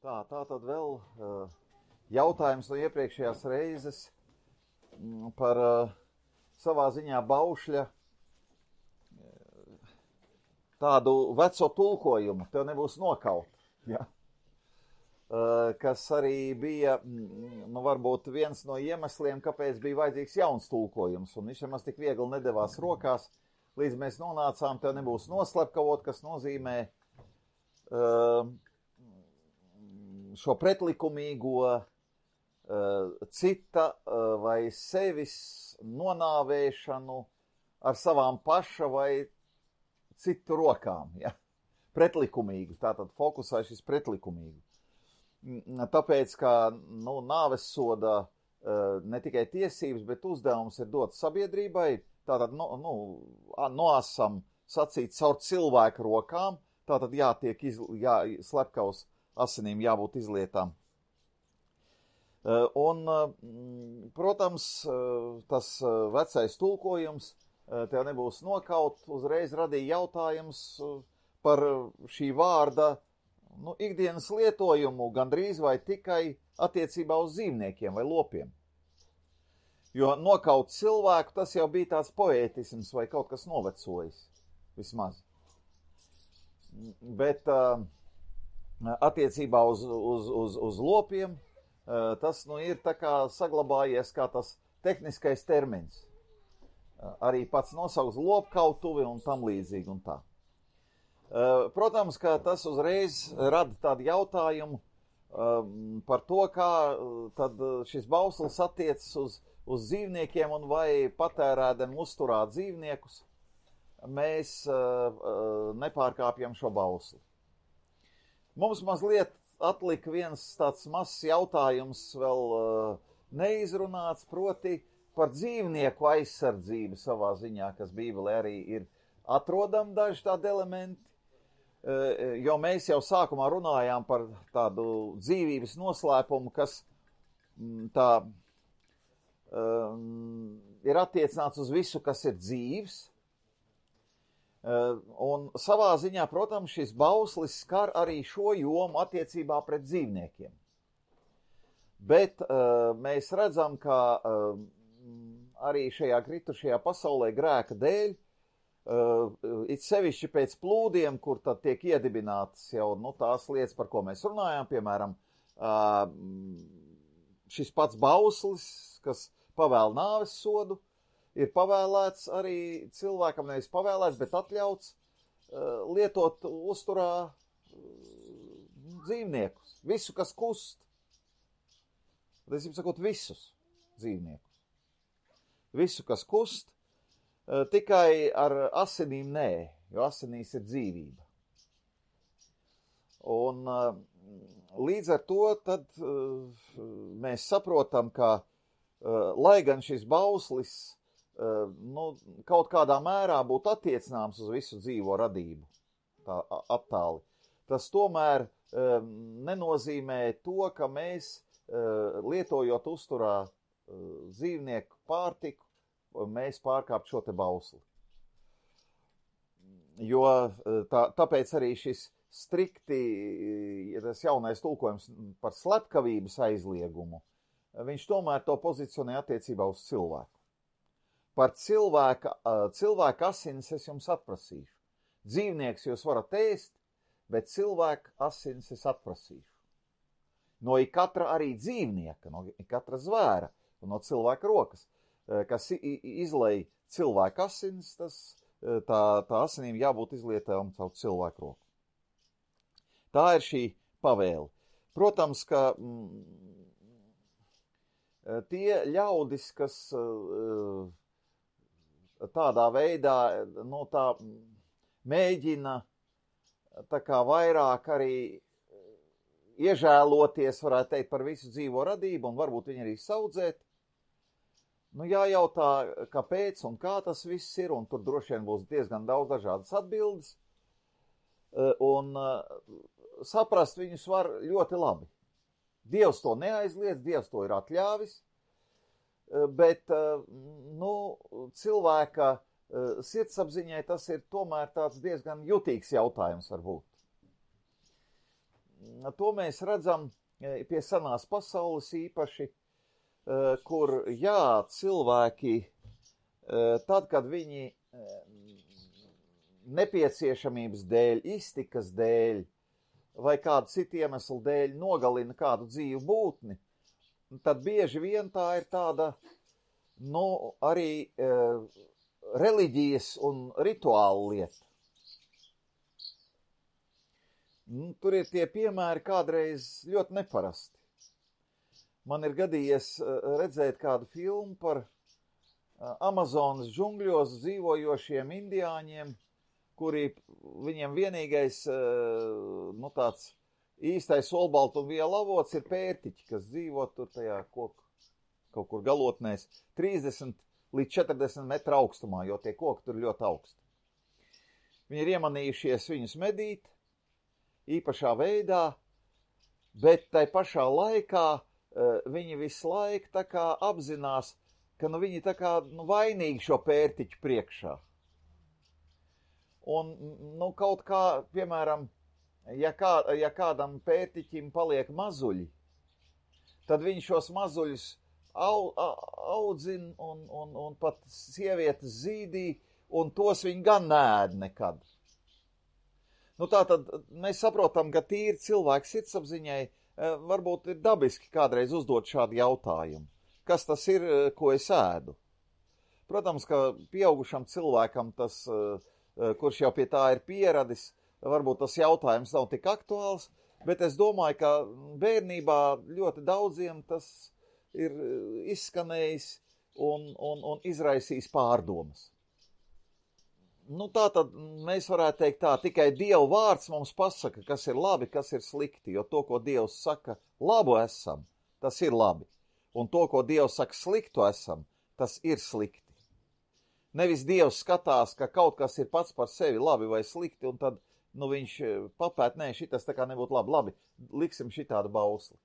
Tā tad vēl jautājums no iepriekšējās reizes par savā ziņā Baušļa tādu veco tulkojumu, tev nebūs nokaut, ja? Kas arī bija, varbūt viens no iemesliem, kāpēc bija vajadzīgs jauns tulkojums, un viņš nemaz tik viegli nedevās rokās, līdz mēs nonācām, tev nebūs noslepkavot, kas nozīmē šo pretlikumīgo cita vai sevis nonāvēšanu ar savām paša vai citu rokām, ja? Pretlikumīgi, tātad fokusā šis pretlikumīgi. Tāpēc, ka nāves soda ne tikai tiesības, bet uzdevums ir dots sabiedrībai, tātad noasam sacīt caur cilvēku rokām, tātad jātiek slepkavas asinīm jābūt izlietām. Un, protams, tas vecais tulkojums tev nebūs nokaut, uzreiz radīja jautājums par šī vārda ikdienas lietojumu gandrīz vai tikai attiecībā uz dzīvniekiem vai lopiem. Jo nokaut cilvēku, tas jau bija tāds poētisms vai kaut kas novecojis, vismaz. Bet attiecībā uz lopiem tas ir tā kā saglabājies kā tas tehniskais termins. Arī pats nosauks lopkautuvi un tam līdzīgi un tā. Protams, ka tas uzreiz rada tādu jautājumu par to, kā tad šis bauslis attiecas uz dzīvniekiem un vai patērēdami uzturāt dzīvniekus, mēs nepārkāpjam šo bausli. Mums mazliet atlika viens tāds mazs jautājums vēl neizrunāts, proti par dzīvnieku aizsardzību savā ziņā, kas Bībelē arī ir atrodami daži tādi elementi, jo mēs jau sākumā runājām par tādu dzīvības noslēpumu, kas tā ir attiecināts uz visu, kas ir dzīvs. Un savā ziņā, protams, šis bauslis skar arī šo jomu attiecībā pret dzīvniekiem. Bet mēs redzam, ka arī šajā kritušajā pasaulē grēka dēļ, it sevišķi pēc plūdiem, kur tad tiek iedibinātas jau tās lietas, par ko mēs runājām, piemēram, šis pats bauslis, kas pavēl nāves sodu, ir pavēlēts arī cilvēkam, nevis pavēlēts, bet atļauts lietot uzturā dzīvniekus, visu, kas kust. Es jums sakot, visus dzīvniekus. Visu, kas kust, tikai ar asinīm nē, jo asinīs ir dzīvība. Un līdz ar to tad mēs saprotam, ka lai gan šis bauslis kaut kādā mērā būtu attiecināms uz visu dzīvo radību, tā attāli, tas tomēr nenozīmē to, ka mēs lietojot uzturā dzīvnieku pārtiku, mēs pārkāpt šo te bausli. Jo tāpēc arī šis strikti, tas jaunais tulkojums par slepkavības aizliegumu, viņš tomēr to pozicionē attiecībā uz cilvēku. Par cilvēka asins es jums atprasīšu. Dzīvnieks jūs varat ēst, bet cilvēka asins es atprasīšu. No ikatra arī dzīvnieka, no ikatra zvēra un no cilvēka rokas, kas izlej cilvēka asins, tā asinīm jābūt izlietām caur cilvēku roku. Tā ir šī pavēle. Protams, ka tie ļaudis, kas tādā veidā tā mēģina tā kā vairāk arī iežēloties, varētu teikt, par visu dzīvo radību un varbūt viņi arī saudzēt, jājautā, kāpēc un kā tas viss ir, un tur droši vien būs diezgan daudz dažādas atbildes, un saprast viņus var ļoti labi. Dievs to neaizliedz, Dievs to ir atļāvis, bet cilvēka sirdsapziņai tas ir tomēr tāds diezgan jutīgs jautājums varbūt. to mēs redzam pie senās pasaules īpaši, kur, jā, cilvēki, tad, kad viņi nepieciešamības dēļ, iztikas dēļ vai kādu citu iemeslu dēļ nogalina kādu dzīvu būtni, tad bieži vien tā ir tāda, arī reliģijas un rituāla lieta. Tur ir tie piemēri kādreiz ļoti neparasti. Man ir gadījies redzēt kādu filmu par Amazonas džungļos dzīvojošiem indiāņiem, kuri viņiem vienīgais, tāds īstais olbaltumvielu avots ir pērtiķi, kas dzīvo tur tajā koku, kaut kur galotnēs, 30 līdz 40 metru augstumā, jo tie koki tur ļoti augsti. Viņi ir iemanījušies viņus medīt, īpašā veidā, bet tai pašā laikā viņi visu laiku tā kā apzinās, ka viņi tā kā vainīgi šo pērtiķu priekšā. Un, kaut kā, piemēram, ja kādam pērtiķim paliek mazuļi, tad viņš šos mazuļus audzina un pat sievietes zīdī, un tos viņi gan neēd nekad. Tātad mēs saprotam, ka tīri cilvēks sirdsapziņai varbūt ir dabiski kādreiz uzdot šādu jautājumu. Kas tas ir, ko es ēdu? Protams, ka pieaugušam cilvēkam tas, kurš jau pie tā ir pieradis, varbūt tas jautājums nav tik aktuāls, bet es domāju, ka bērnībā ļoti daudziem tas ir izskanējis un izraisījis pārdomas. Tātad mēs varētu teikt tā, tikai Dieva vārds mums pasaka, kas ir labi, kas ir slikti, jo to, ko Dievs saka, labu esam, tas ir labi, un to, ko Dievs saka, sliktu esam, tas ir slikti. Nevis Dievs skatās, ka kaut kas ir pats par sevi labi vai slikti, un tad, viņš papēt, nē, šitas tā kā nebūtu labi, liksim šitādu bausli.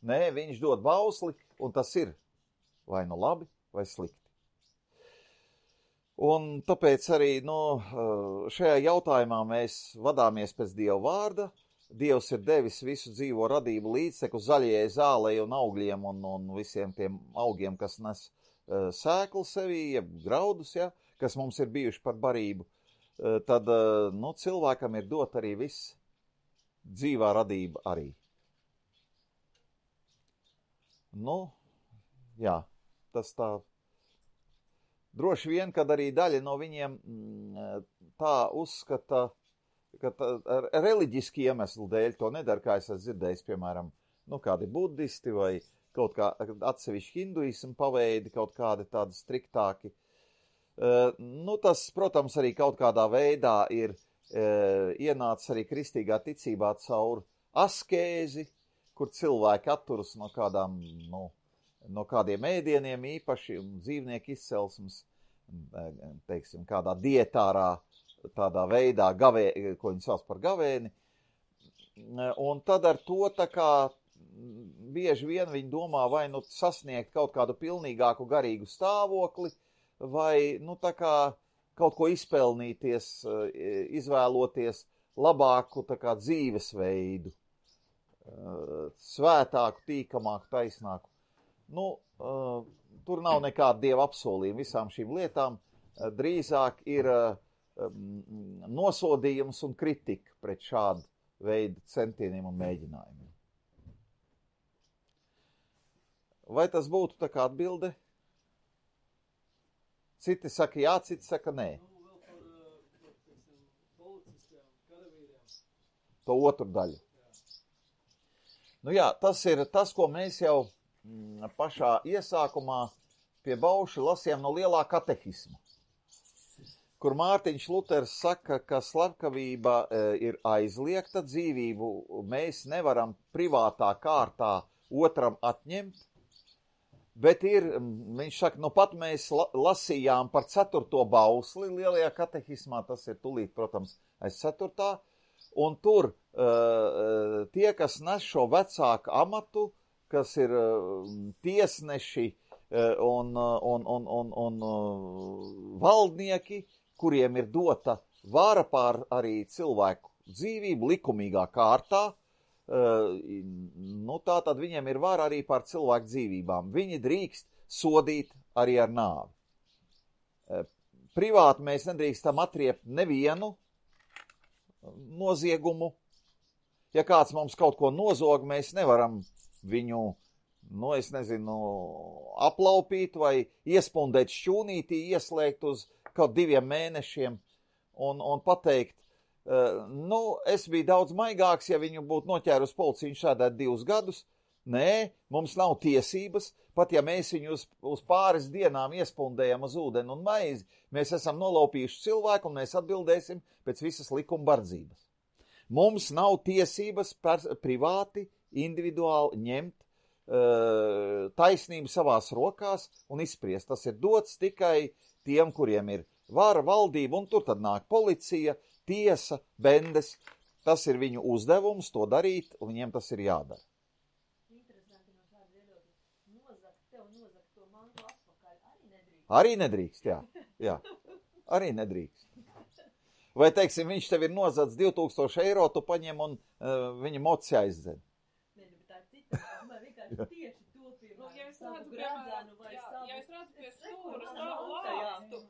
Nē, viņš dod bausli, un tas ir vai labi, vai slikti. Un tāpēc arī, šajā jautājumā mēs vadāmies pēc Dieva vārda. Dievs ir devis visu dzīvo radību līdzteku zaļajai zālei un augļiem un visiem tiem augiem, kas nes sēklu sevī, jeb graudus, ja, kas mums ir bijuši par barību, tad, cilvēkam ir dot arī viss dzīvā radība arī. Jā, tas tā. Droši vien, kad arī daļa no viņiem tā uzskata, ka reliģiski iemeslu dēļ to nedara, kā es esmu dzirdējis, piemēram, kādi budisti vai kaut kā atsevišķi hinduismu paveidi, kaut kādi tādi striktāki. Tas, protams, arī kaut kādā veidā ir ienācis arī kristīgā ticībā caur askēzi, kur cilvēki atturas no kādām, no kādiem ēdieniem īpaši un dzīvnieku izcelsmes, teiksim, kādā dietārā, tādā veidā, ko viņi sauc par gavēni. Un tad ar to tā kā bieži vien viņi domā vai sasniegt kaut kādu pilnīgāku garīgu stāvokli, vai tā kā kaut ko izpelnīties, izvēloties labāku tā kā dzīvesveidu, svētāku, tīkamāku, taisnāku. Tur nav nekāda Dieva apsolījuma visām šīm lietām, drīzāk ir nosodījums un kritika pret šādu veidu centieniem un mēģinājumiem. Vai tas būtu tā kā atbilde? Citi saka jā, citi saka nē. To otru daļu. Tas ir tas, ko mēs jau pašā iesākumā pie Bauša lasījām no lielā katehisma, kur Mārtiņš Luters saka, ka slepkavība ir aizliegta, dzīvību mēs nevaram privātā kārtā otram atņemt, bet viņš saka, pat mēs lasījām par 4. bausli lielajā katehismā, tas ir tulīt, protams, aiz 4. Un tur tie, kas nes šo vecāku amatu, kas ir tiesneši un valdnieki, kuriem ir dota vara pār arī cilvēku dzīvību likumīgā kārtā, nu tā tad viņiem ir vara arī pār cilvēku dzīvībām. Viņi drīkst sodīt arī ar nāvi. Privāti mēs nedrīkstam atriept nevienu noziegumu. Ja kāds mums kaut ko nozog, mēs nevaram viņu, es nezinu, aplaupīt vai iespundēt šķūnītī, ieslēgt uz kaut 2 mēnešiem un pateikt, es biju daudz maigāks, ja viņu būtu noķērusi policija, viņš sēdētu 2 gadus. Nē, mums nav tiesības, pat ja mēs viņu uz pāris dienām iespundējam uz ūdeni un maizi, mēs esam nolaupījuši cilvēku un mēs atbildēsim pēc visas likuma bardzības. Mums nav tiesības privāti, individuāli ņemt taisnību savās rokās un izspriest. Tas ir dots tikai tiem, kuriem ir vara, valdība, un tur tad nāk policija, tiesa, bendes. Tas ir viņu uzdevums to darīt, un viņiem tas ir jādara. Interesanti no šāda viedokļa. Nozakt to mantu atpakaļ arī nedrīkst. Arī nedrīkst, jā. Arī nedrīkst. Vai, teiksim, viņš tev ir nozadz 2000 eiro, tu paņem un viņa moci aizdzen. Nē, bet tā ir cita, man vienkārši tieši to, piemēram, ja es savu redzu, gradzenu vai savu... Ja es redzu pie stūra savu savu lāstu, lāstu,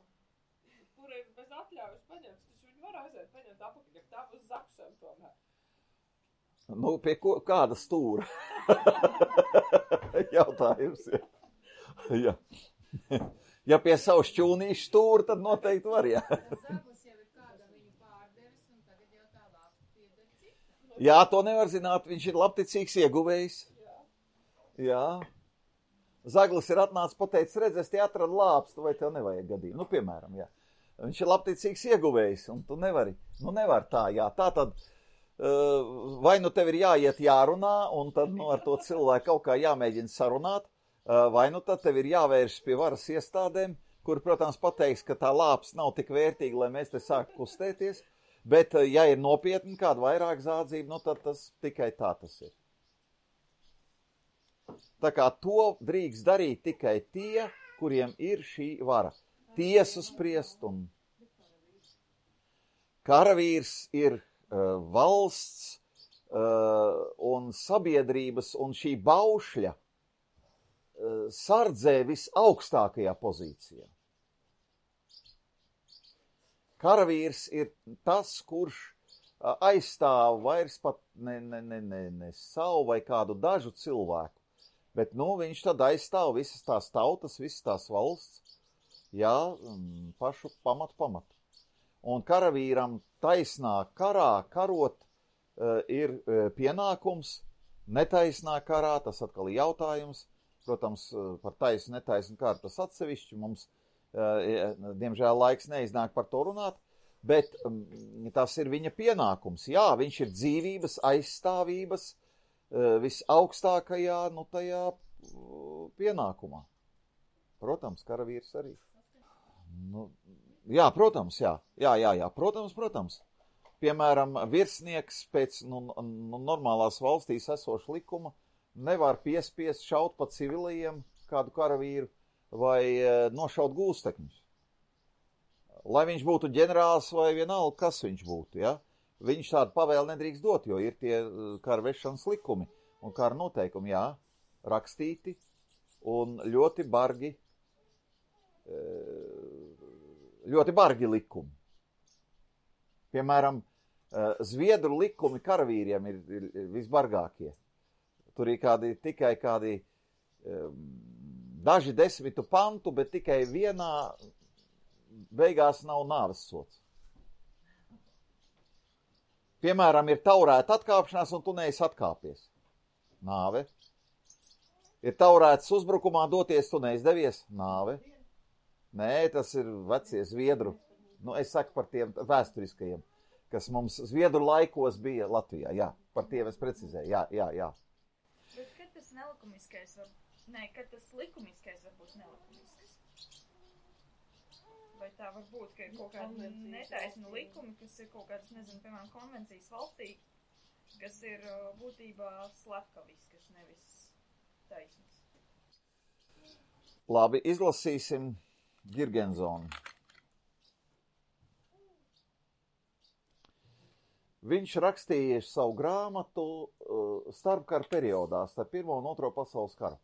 kur ir bez atļaujas paņemts, taču viņi var aiziet paņemt apakaļ, ja tā būs zakšana tomēr. Nu, pie kāda stūra? Jautājums, jā. Ja pie savu šķūnīšu stūra, tad noteikti var, jā. Zagus jau ir kāda viņu pārdevis, un tagad jau tā lāpsta pieder cita. Jā, to nevar zināt, viņš ir labticīgs ieguvējs. Jā. Zaglis ir atnācis pateicis, redz, es te atradu lāpstu, vai tev nevajag gadījumu. Nu, piemēram, jā. Viņš ir labticīgs ieguvējs, un tu nevari. Nu, nevar tā, jā. Tā tad, vai nu tev ir jāiet jārunā, un tad, ar to cilvēku kaut kā jāmēģina sarunāt, vai nu tad tev ir jāvērš pie varas iestādēm, kur, protams, pateiks, ka tā lāps nav tik vērtīga, lai mēs te sāktu kustēties, bet, ja ir nopietni kāda vairāk zādzība, nu tad tas tikai tā tas ir. Tā kā to drīkst darīt tikai tie, kuriem ir šī vara. Tiesu spriest un karavīrs ir valsts un sabiedrības un šī baušļa sardzē visaugstākajā pozīcijā. Karavīrs ir tas, kurš aizstāv vairs pat ne savu vai kādu dažu cilvēku, bet, viņš tad aizstāv visas tās tautas, visas tās valsts, jā, pašu pamatu. Un karavīram taisnā karā karot ir pienākums, netaisnā karā, tas atkal ir jautājums, protams, par taisu, netaisu kāru tas atsevišķi, mums, diemžēl, laiks neiznāk par to runāt, bet tas ir viņa pienākums. Jā, viņš ir dzīvības aizstāvības visaugstākajā, tajā pienākumā. Protams, karavīrs arī. Jā, protams, jā. Protams. Piemēram, virsnieks pēc normālās valstīs esoša likuma nevar piespiest šaut pa civilajiem kādu karavīru vai nošaut gūstekņus. Lai viņš būtu ģenerālis vai vienalga, kas viņš būtu, ja? Viņš tādu pavēli nedrīkst dot, jo ir tie kara vešanas likumi un kara noteikumi, jā, rakstīti un ļoti bargi likumi. Piemēram, Zviedru likumi karavīriem ir visbargākie. Tur ir tikai kādi daži 10 pantu, bet tikai vienā beigās nav nāves sods. Piemēram, ir taurēta atkāpšanās, un tu neesi atkāpies. Nāve. Ir taurēts uzbrukumā doties, tu neizdevies. Nāve. Nē, tas ir vecie Zviedru. Es saku par tiem vēsturiskajiem, kas mums Zviedru laikos bija Latvijā. Jā, par tiem es precizēju. Jā. Bet kad tas nelikumiskais kad tas likumiskais var būt nelikumisks? Vai tā var būt, ka ir kaut kāda netaisna likumi, kas ir kaut kādas, nezinu, piemēram, konvencijas valstī, kas ir būtībā slepkaviskas, nevis taisnas? Labi, izlasīsim Girgensonu. viņš rakstīja savu grāmatu starpkara periodā, starp Pirmo un Otro pasaules karu.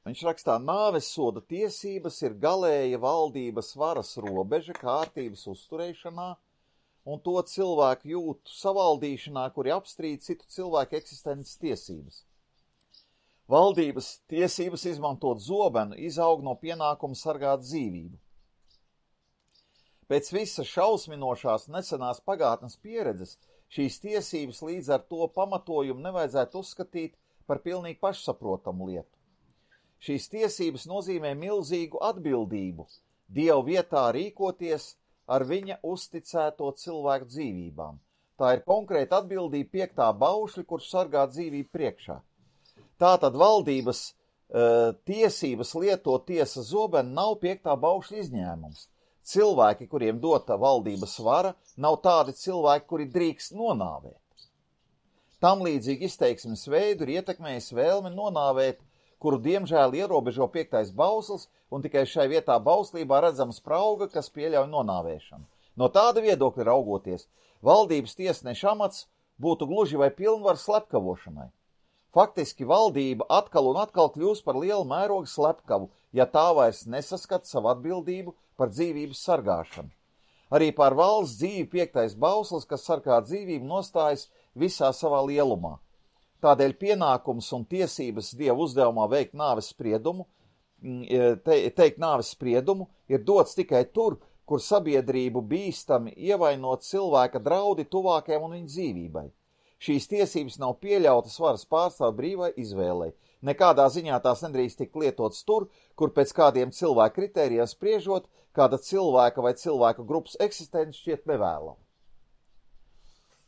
Viņš rakstā, nāves soda tiesības ir galēja valdības varas robeža kārtības uzturēšanā un to cilvēku jūtu savaldīšanā, kuri apstrīd citu cilvēku eksistences tiesības. Valdības tiesības izmantot zobenu izaug no pienākuma sargāt dzīvību. Pēc visas šausminošās nesenās pagātnes pieredzes šīs tiesības līdz ar to pamatojumu nevajadzētu uzskatīt par pilnīgi pašsaprotamu lietu. Šīs tiesības nozīmē milzīgu atbildību, Dievu vietā rīkoties ar viņa uzticēto cilvēku dzīvībām. Tā ir konkrēta atbildība 5. baušļa, kurš sargā dzīvību priekšā. Tātad valdības tiesības lietot tiesas zobenu nav 5. baušļa izņēmums. Cilvēki, kuriem dota valdības vara, nav tādi cilvēki, kuri drīkst nonāvēt. Tam līdzīgi izteiksmes veidu ir ietekmējis vēlme nonāvēt, kuru diemžēl ierobežo 5. bauslis, un tikai šai vietā bauslībā redzama sprauga, kas pieļauj nonāvēšanu. No tāda viedokļa raugoties, valdības tiesneša amats būtu gluži vai pilnvaru slepkavošanai. Faktiski valdība atkal un atkal kļūst par lielu mērogu slepkavu, ja tā vairs nesaskata savu atbildību par dzīvības sargāšanu. Arī pār valsts dzīvi 5. bauslis, kas sargā dzīvību, nostājas visā savā lielumā. Tādēļ pienākums un tiesības Dieva uzdevumā veikt nāves spriedumu, teikt nāves spriedumu, ir dots tikai tur, kur sabiedrību bīstami ievainot cilvēka draudi tuvākajam un viņa dzīvībai. Šīs tiesības nav pieļautas varas pārstāvu brīvai izvēlei. Nekādā ziņā tās nedrīkst tikt lietotas tur, kur pēc kādiem cilvēku kritērijiem spriežot, kāda cilvēka vai cilvēka grupas eksistence šķiet nevēlama.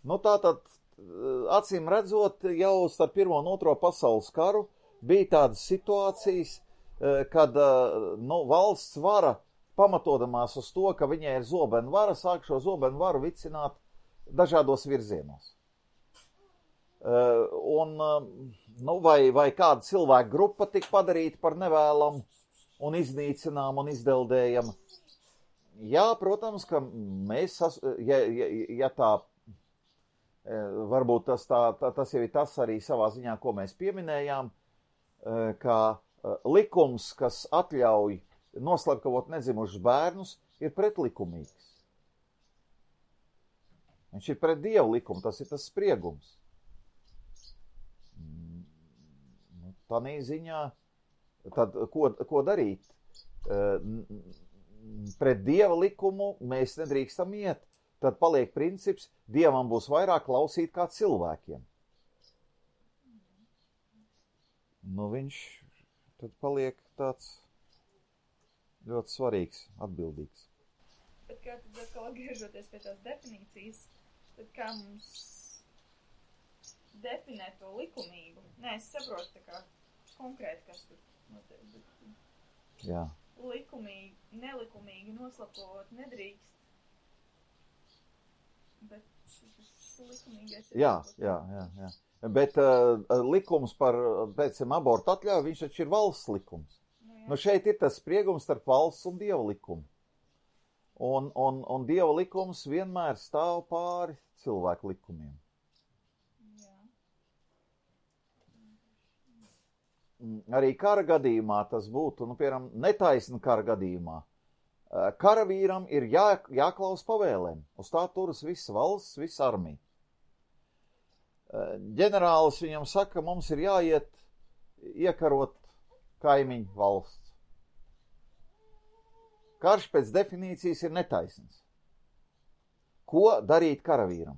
Nu tātad, acīm redzot, jau starp Pirmo un Otro pasaules karu bija tādas situācijas, kad valsts vara, pamatodamās uz to, ka viņai ir zobenu vara, sāk šo zobenu varu vicināt dažādos virzienos. Vai kāda cilvēka grupa tika padarīta par nevēlamu un iznīcinām un izdeldējama. Jā, protams, ka mēs, ja tā, varbūt tas jau ir tas arī savā ziņā, ko mēs pieminējām, ka likums, kas atļauj noslepkavot nedzimušus bērnus, ir pretlikumīgs. Viņš ir pret Dievu likumu, tas ir tas spriegums. Tādā ziņā, tad ko darīt? Pret Dieva likumu mēs nedrīkstam iet. Tad paliek princips, Dievam būs vairāk klausīt kā cilvēkiem. Viņš tad paliek tāds ļoti svarīgs, atbildīgs. Bet kā tad atkal atgriežoties pie tās definīcijas, tad kā mums definēt to likumību? Nē, es saprotu tā kā konkrēti, kas tur notiek. Jā. Likumīgi, nelikumīgi noslapot nedrīkst. Bet šis likumīgais ir... Jā. Bet likums par, teicam, abortu atļauju, viņš taču ir valsts likums. Šeit ir tas spriegums starp valsts un Dieva likumu. Un Dieva likums vienmēr stāv pāri cilvēku likumiem. Arī kara gadījumā tas būtu, piemēram, netaisna kara gadījumā. Karavīram ir jāklaus pavēlēm. Uz tā turas visa valsts, visa armija. Ģenerālis viņam saka, mums ir jāiet iekarot kaimiņu valsts. Karš pēc definīcijas ir netaisns. Ko darīt karavīram?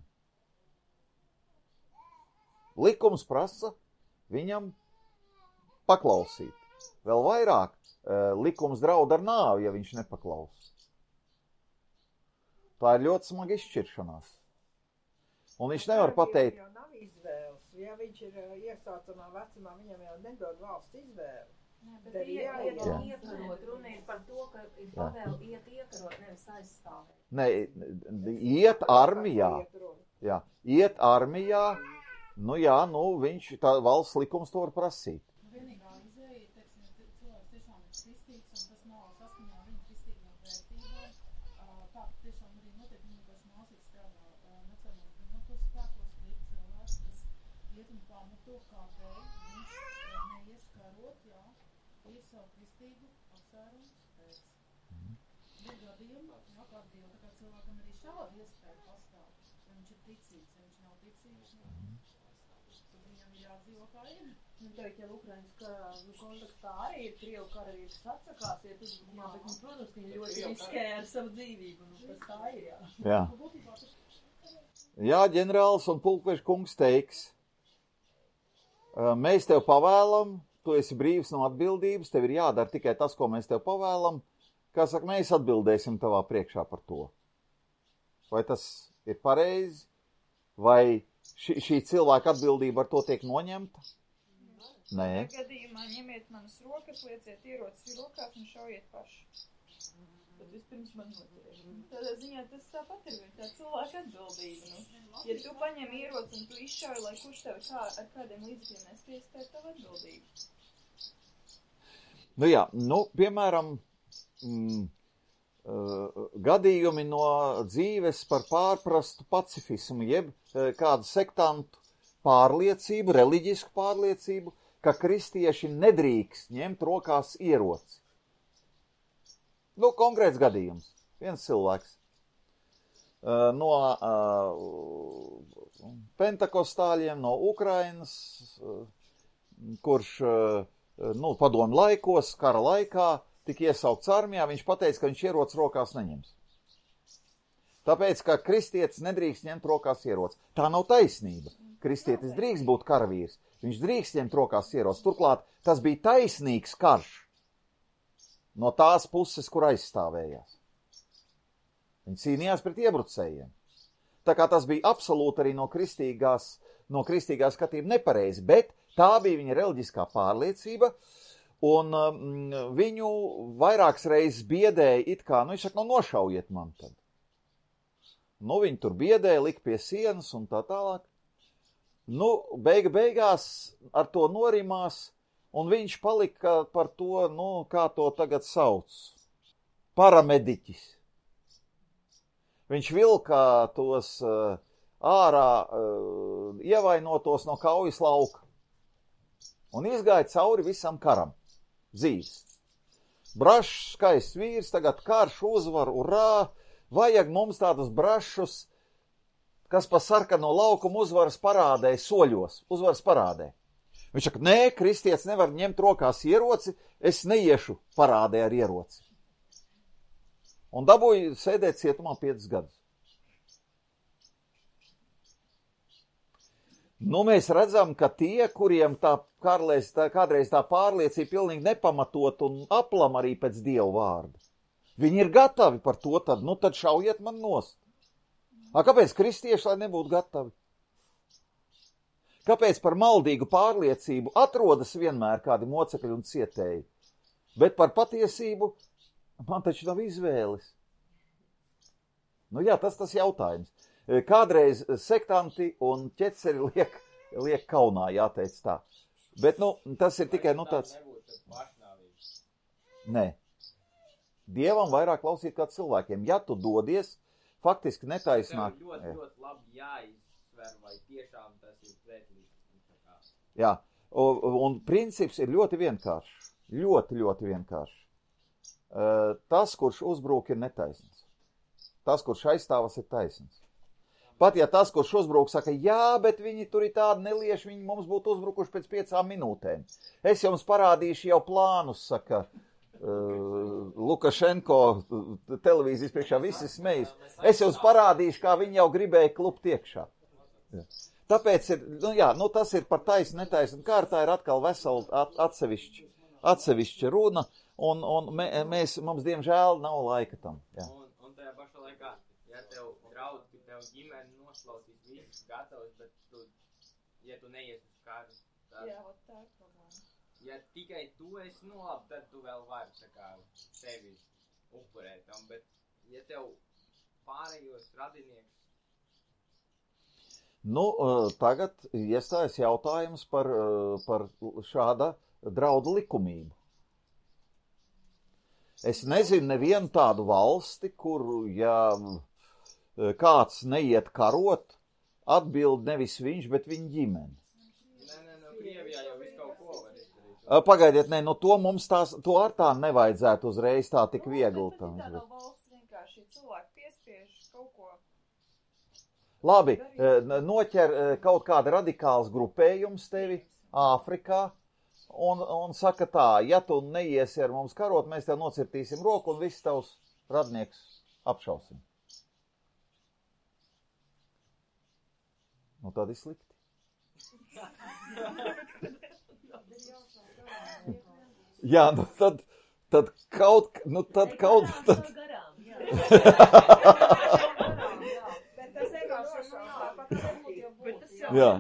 Likums prasa viņam paklausīt. Vēl vairāk likums draud ar nāvi, ja viņš nepaklaus. Tā ir ļoti smaga izšķiršanās. Un viņš nevar pateikt... Jau nav izvēles. Ja viņš ir iesācamā vecumā, viņam jau nedod valsts izvēli. Nē, bet iekarot, runa ir par to, ka ir pavēle iet iekarot, nevis aizstāvēt. Nē, iet armijā. Jā, iet armijā, viņš, tā valsts likums to var prasīt. Vienīgā izēja ir, teiksim, cilvēks tiešām ir kristīgs, un tas nav saskaņā ar viņu kristīgajām vērtībām. Tā tiešām arī notiek, viņi pamato, kādēļ viņš neies karot, jā, ir savu kristību apsvērumu pēc. Ir gadījumi, jā, kā Dievu, tā kā cilvēkam arī šāda iespēja pastāv, ja viņš ir ticīgs, ja viņš nav ticīgs, tad viņam ir jādzīvo kā ir. Nu, teikt, ja Ukrainas karā kontekstā arī ir Krievu karavīrs atsakās, ja tas, jā, bet, nu, protams, ka viņi ļoti riskēja ar savu dzīvību, nu, tas tā ir, jā. Jā. Jā, ģenerālis un pulkveža kungs teiks, mēs tev pavēlam, tu esi brīvs no atbildības, tev ir jādara tikai tas, ko mēs tev pavēlam, kā saka, mēs atbildēsim tavā priekšā par to. Vai tas ir pareizi, vai šī cilvēka atbildība ar to tiek noņemta? Nē. Gadījumā ņemiet manas rokas, lieciet ierocis rokās un šaujiet paši. Tad vispirms man noturēt. Tādā ziņā tas tāpat ir tā cilvēka atbildība. Nu. Ja tu paņem ieroci un tu izšauji, lai kurš tev ar kādiem līdzekļiem nespējas, tā ir tava atbildība. Nu jā, piemēram, gadījumi no dzīves par pārprastu pacifismu, jeb kādu sektantu pārliecību, reliģisku pārliecību, ka kristieši nedrīkst ņemt rokās ieroci. Konkrēts gadījums. Viens cilvēks no pentakostāļiem, no Ukrainas, kurš padomu laikos, kara laikā, tika iesaukts armijā, viņš pateica, ka viņš ieroci rokās neņems. Tāpēc, ka kristietis nedrīkst ņemt rokās ieroci. Tā nav taisnība. Kristietis drīkst būt karavīrs. Viņš drīkst ņemt rokās ieroci. Turklāt tas bija taisnīgs karš no tās puses, kur aizstāvējās. Viņi cīnījās pret iebrucējiem. Tā kā tas bija absolūti arī no kristīgā skatība nepareizi, bet tā bija viņa reliģiskā pārliecība, un viņu vairākas reizes biedēja it kā, viņš saka, nošaujiet man tad. Viņi tur biedēja, lika pie sienas un tā tālāk. Beigās ar to norimās, un viņš palika par to, kā to tagad sauc, paramediķis. Viņš vilka tos ārā ievainotos no kaujas lauka un izgāja cauri visam karam, dzīves. Brašs, skaists vīrs, tagad karš, uzvar, urā, vajag mums tādus brašus, kas pa sarkano laukumu uzvaras parādē soļos, uzvaras parādē. Viņš saka, nē, kristietis nevar ņemt rokās ieroci, es neiešu parādē ar ieroci. Un dabūja sēdēt cietumā 5 gadus. Mēs redzam, ka tie, kuriem kādreiz tā pārliecība pilnīgi nepamatot un aplam arī pēc Dieva vārda, viņi ir gatavi par to, tad šaujiet man nost. Kāpēc kristieši, lai nebūtu gatavi? Kāpēc par maldīgu pārliecību atrodas vienmēr kādi mocekļi un cietēji? Bet par patiesību man taču nav izvēles. Jā, tas jautājums. Kādreiz sektanti un ķeceri liek kaunā, jāteic tā. Bet, tas ir tikai, tāds... Nē. Dievam vairāk klausīt kā cilvēkiem. Ja tu dodies, faktiski netaisnāk. Tev ļoti labi jāizsver, vai tiešām tas ir pretlīdz. Jā, un princips ir ļoti vienkāršs. Ļoti, ļoti vienkāršs. Tas, kurš uzbrūk, ir netaisns. Tas, kurš aizstāvas, ir taisns. Pat ja tas, kurš uzbrūk, saka, jā, bet viņi tur ir tādi nelieši, viņi mums būtu uzbrukuši pēc 5 minūtēm. Es jums parādīšu jau plānus, saka Lukašenko televīzijas priekšā, visi smejas. Es jums parādīšu, kā viņi jau gribēja klupt iekšā. Tāpēc ir, tas ir par taisnu, netaisnu kārtā, ir atkal vesela atsevišķa runa, un mums diemžēl nav laika tam. Jā. Un tajā pašā laikā, ja tev draud, ka tev ģimeni noslausīs visus gatavs, bet ja tu neies uz kādu, tad... Jā, tā ir problēma. Ja tikai tu esi labi, tad tu vēl vari sevi upurēt tam, bet ja tev pārējos radinieks... Tagad iestājas jautājums par šāda draudu likumību. Es nezinu nevienu tādu valsti, kur, ja kāds neiet karot, atbild nevis viņš, bet viņa ģimene. Krievijā jau visu kaut ko var izdarīt. Pagaidiet, nē, no to mums to ar tā nevajadzētu uzreiz tā tik viegli. Tā nav valsts vienkārši, cilvēki piespiež kaut ko. Labi, noķer kaut kāda radikāls grupējums tevi Āfrikā un saka tā, ja tu neiesi ar mums karot, mēs tev nocirtīsim roku un visus tavus radniekus apšausim. Nu, tad ir slikti. Jā, nu tad kaut... Tad... Jā.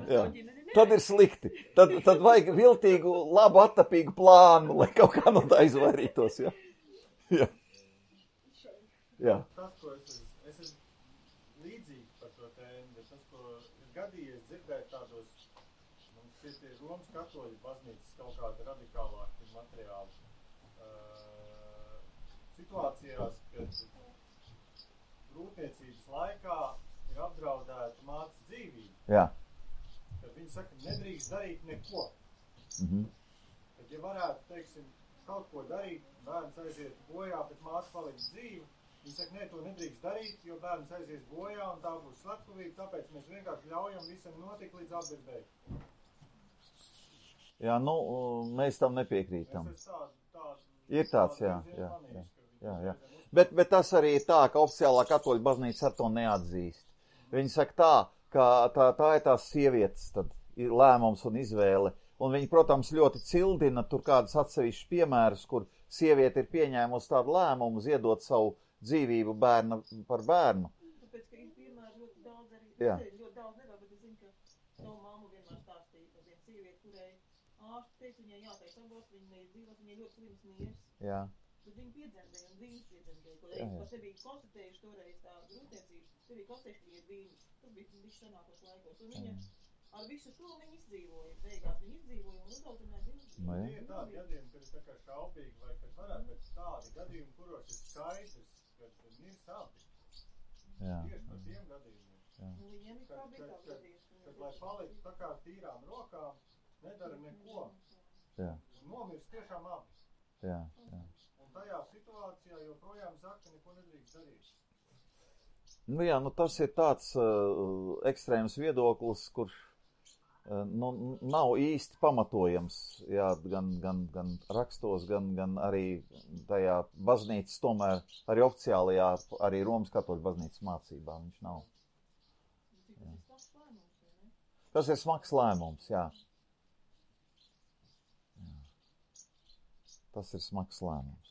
Tad ir slikti. Tad vajag viltīgu, labu, attapīgu plānu, lai kaut kā no tā izvairītos. Jā. Tas, ko es esmu līdzīgi par to tēmu, bet tas, ko ir gadījies dzirdēt tādos, mums ir Romas katoļu baznīcas kaut kāda radikālāka materiāla situācijās, kad grūtniecības laikā ir apdraudēta mātes dzīvība. Jā. Kad viņi saka, nedrīkst darīt neko. Tad, ja varētu, teiksim, kaut ko darīt, bērns aiziet bojā, bet māte paliks dzīva, viņi saka, nē, to nedrīkst darīt, jo bērns aizies bojā un tā būs slepkavība, tāpēc mēs vienkārši ļaujam visam notikt līdz atbildēji. Jā, nu, mēs tam nepiekrītam. Ir tāds, jā. Bet tas arī ir tā, ka oficiālā katoļu baznīca ar to neatzīst. Viņi saka tā, ka tā ir tās sievietes tad ir lēmums un izvēle. Un viņi, protams, ļoti cildina tur kādus atsevišķus piemērus, kur sieviete ir pieņēmusi tādu lēmumu ziedot savu dzīvību bērna par bērnu. Tāpēc, ka ir piemēri ļoti daudz arī, ļoti daudz nevar, bet es zinu, ka savu mammu vienmēr stāstīja par vienu sievieti, kurai ārsti teica, viņai jātais aborts, viņa neizdzīvot, viņai ļoti slims nieres. Jā. Bet viņi piedzemdēja un viņas piedzemdēja, ko reiz par sevi konstatējuši toreiz tā grūtniecības, sevi konstatējuši, ka ir vīns. Tas bija senākos laikos, un viņa ar visu to viņa izdzīvoja. Beigās viņa izdzīvoja un uzaudināja dzīvību. Ir tādi gadījumi, kad ir tā kā šaubīgi, vai kad varētu pēc tādi gadījumi, kuros ir skaidrs, kad ir sabi. Tieši par tiem gadījumiem. Viņiem ir kā bija tā gadījums. Kad lai palikt tā kā tīrām rokām, nedara neko. Nomirst tiešām abi. Jā. Un tajā situācijā joprojām saka, ka neko nedrīkst darīt. Nu jā, tas ir tāds ekstrēms viedoklis, kurš nav īsti pamatojams, jā, gan rakstos, gan arī tajā baznīcas, tomēr arī oficiālajā, arī Romas katoļu baznīcas mācībā viņš nav. Tas ir smags lēmums, jā. Tas ir smags lēmums.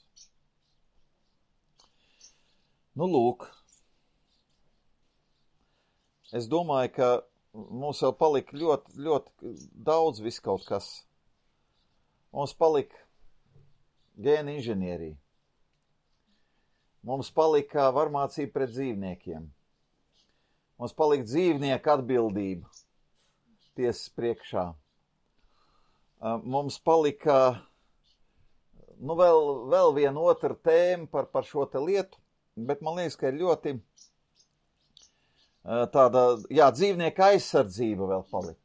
Nu, lūk. Es domāju, ka mums vēl palika ļoti, ļoti daudz viskaut kas. Mums palika gēna inženierija. Mums palika varmācība pret dzīvniekiem. Mums palika dzīvnieku atbildība tiesas priekšā. Mums palika vēl viena otra tēma par šo te lietu, bet man liekas, ka ir ļoti tāda, dzīvnieka aizsardzība vēl palika.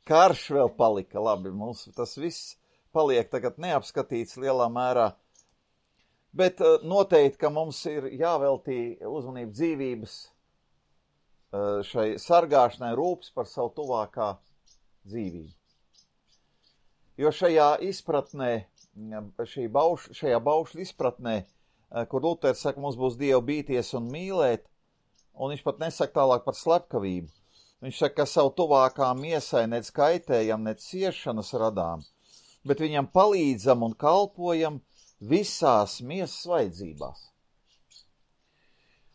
Karš vēl palika, labi, mums tas viss paliek tagad neapskatīts lielā mērā, bet noteikti, ka mums ir jāveltī uzmanība dzīvības šai sargāšanai, rūpes par savu tuvākā dzīvību. Jo šajā izpratnē, šajā baušļu izpratnē, kur Luters saka, mums būs Dievu bīties un mīlēt, un viņš pat nesaka tālāk par slepkavību. Viņš saka, ka savu tuvākām miesai nec kaitējam, nec ciešanas radām, bet viņam palīdzam un kalpojam visās miesas vajadzībās.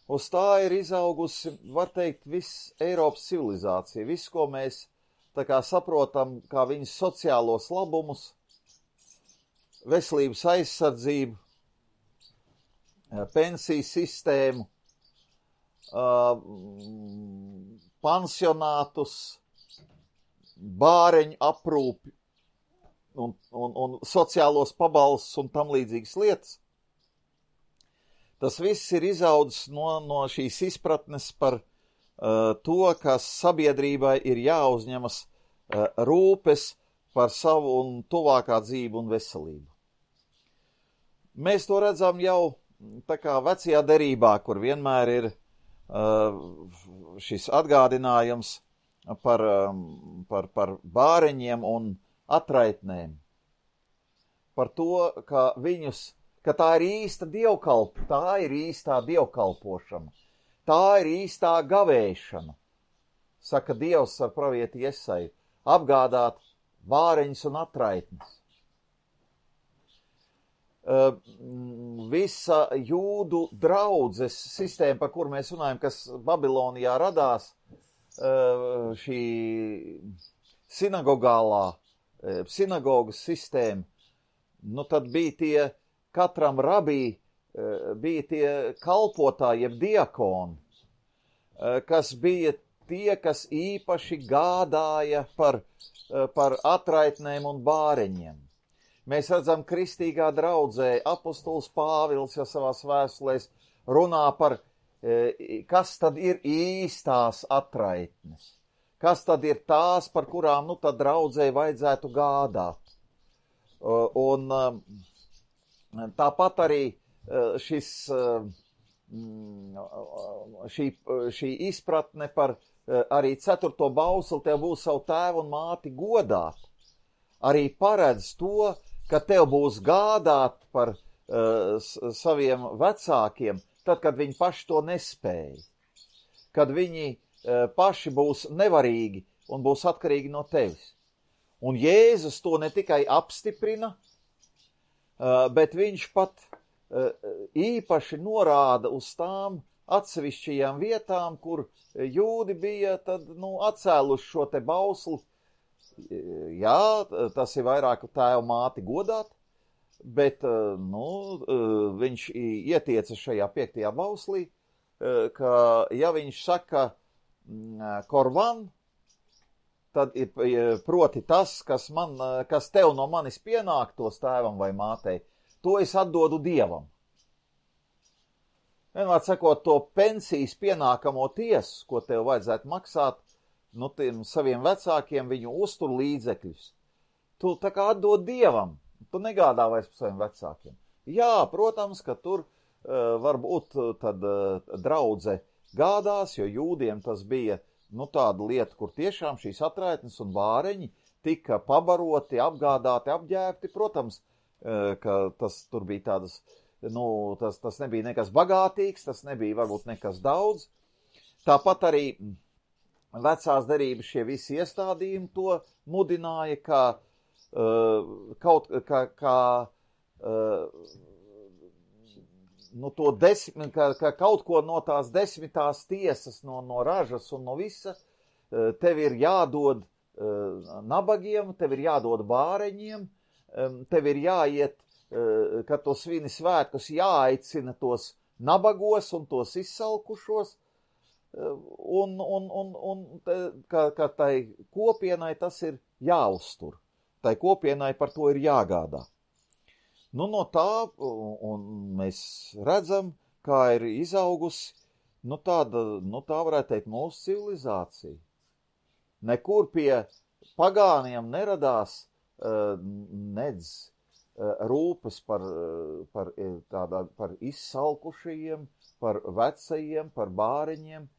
Uz tā ir izaugusi, var teikt, viss Eiropas civilizācija, viss, ko mēs tā kā saprotam, kā viņas sociālos labumus, veselības aizsardzību, pensiju sistēmu, pansionātus, bāreņu aprūpi un sociālos pabalstus un tam līdzīgas lietas. Tas viss ir izaudzis no šīs izpratnes par to, ka sabiedrībai ir jāuzņemas rūpes par savu un tuvākā dzīvi un veselību. Mēs to redzam jau tā kā vecajā derībā, kur vienmēr ir šis atgādinājums par bāreņiem un atraitnēm. Par to, ka tā ir īsta tā ir īstā dievkalpošana. Tā ir īstā gavēšana, saka Dievs ar pravieti Jesaju, apgādāt bāreņus un atraitnes. Visa jūdu draudzes sistēma, par kuru mēs runājam, kas Babilonijā radās, šī sinagogas sistēma, nu tad bija katram rabī bija tie kalpotāji, jeb diakoni, kas bija tie, kas īpaši gādāja par atraitnēm un bāreņiem. Mēs redzam, kristīgā draudzē apostols Pāvils jau savās vēstulēs runā par, kas tad ir īstās atraitnes, kas tad ir tās, par kurām tad draudzē vajadzētu gādāt. Un tāpat arī šī izpratne par arī 4. bausli, tev būs savu tēvu un māti godāt, arī paredz to, ka tev būs gādāt par saviem vecākiem, tad, kad viņi paši to nespēja, kad viņi paši būs nevarīgi un būs atkarīgi no tevis. Un Jēzus to ne tikai apstiprina, bet viņš pat īpaši norāda uz tām atsevišķajām vietām, kur jūdi bija tad, atcēluši šo te bausli. Jā, tas ir vairāk tēvu māti godāt, bet viņš ietieca šajā 5. bauslī, ka ja viņš saka korvan, tad ir proti tas, kas tev no manis pienāktos tēvam vai mātei, to es atdodu Dievam. Vienmēr sakot, to pensijas pienākamo tiesu, ko tev vajadzētu maksāt, tiem saviem vecākiem viņu uztur līdzekļus. Tu tā kā atdod Dievam, tu negādā vairs par saviem vecākiem. Jā, protams, ka tur varbūt tad draudze gādās, jo jūdiem tas bija tāda lieta, kur tiešām šīs atraitnes un bāreņi tika pabaroti, apgādāti, apģērbti. Protams, ka tas tur bija tādas, tas nebija nekas bagātīgs, tas nebija varbūt nekas daudz. Tāpat arī vecās derības šie visi iestādījumi to mudināja, ka kaut ko no tās 10. tiesas, no ražas un no visa, tev ir jādod nabagiem, tev ir jādod bāreņiem, tev ir jāiet, kad to svini svētkus, jāaicina tos nabagos un tos izsalkušos, ka tai kopienai tas ir jāuztur. Tai kopienai par to ir jāgādā. No tā, un mēs redzam, kā ir izaugusi, tā varētu teikt mūsu civilizācija. Nekur pie pagāniem neradās nedz rūpes par izsalkušajiem, par vecajiem, par bāreņiem.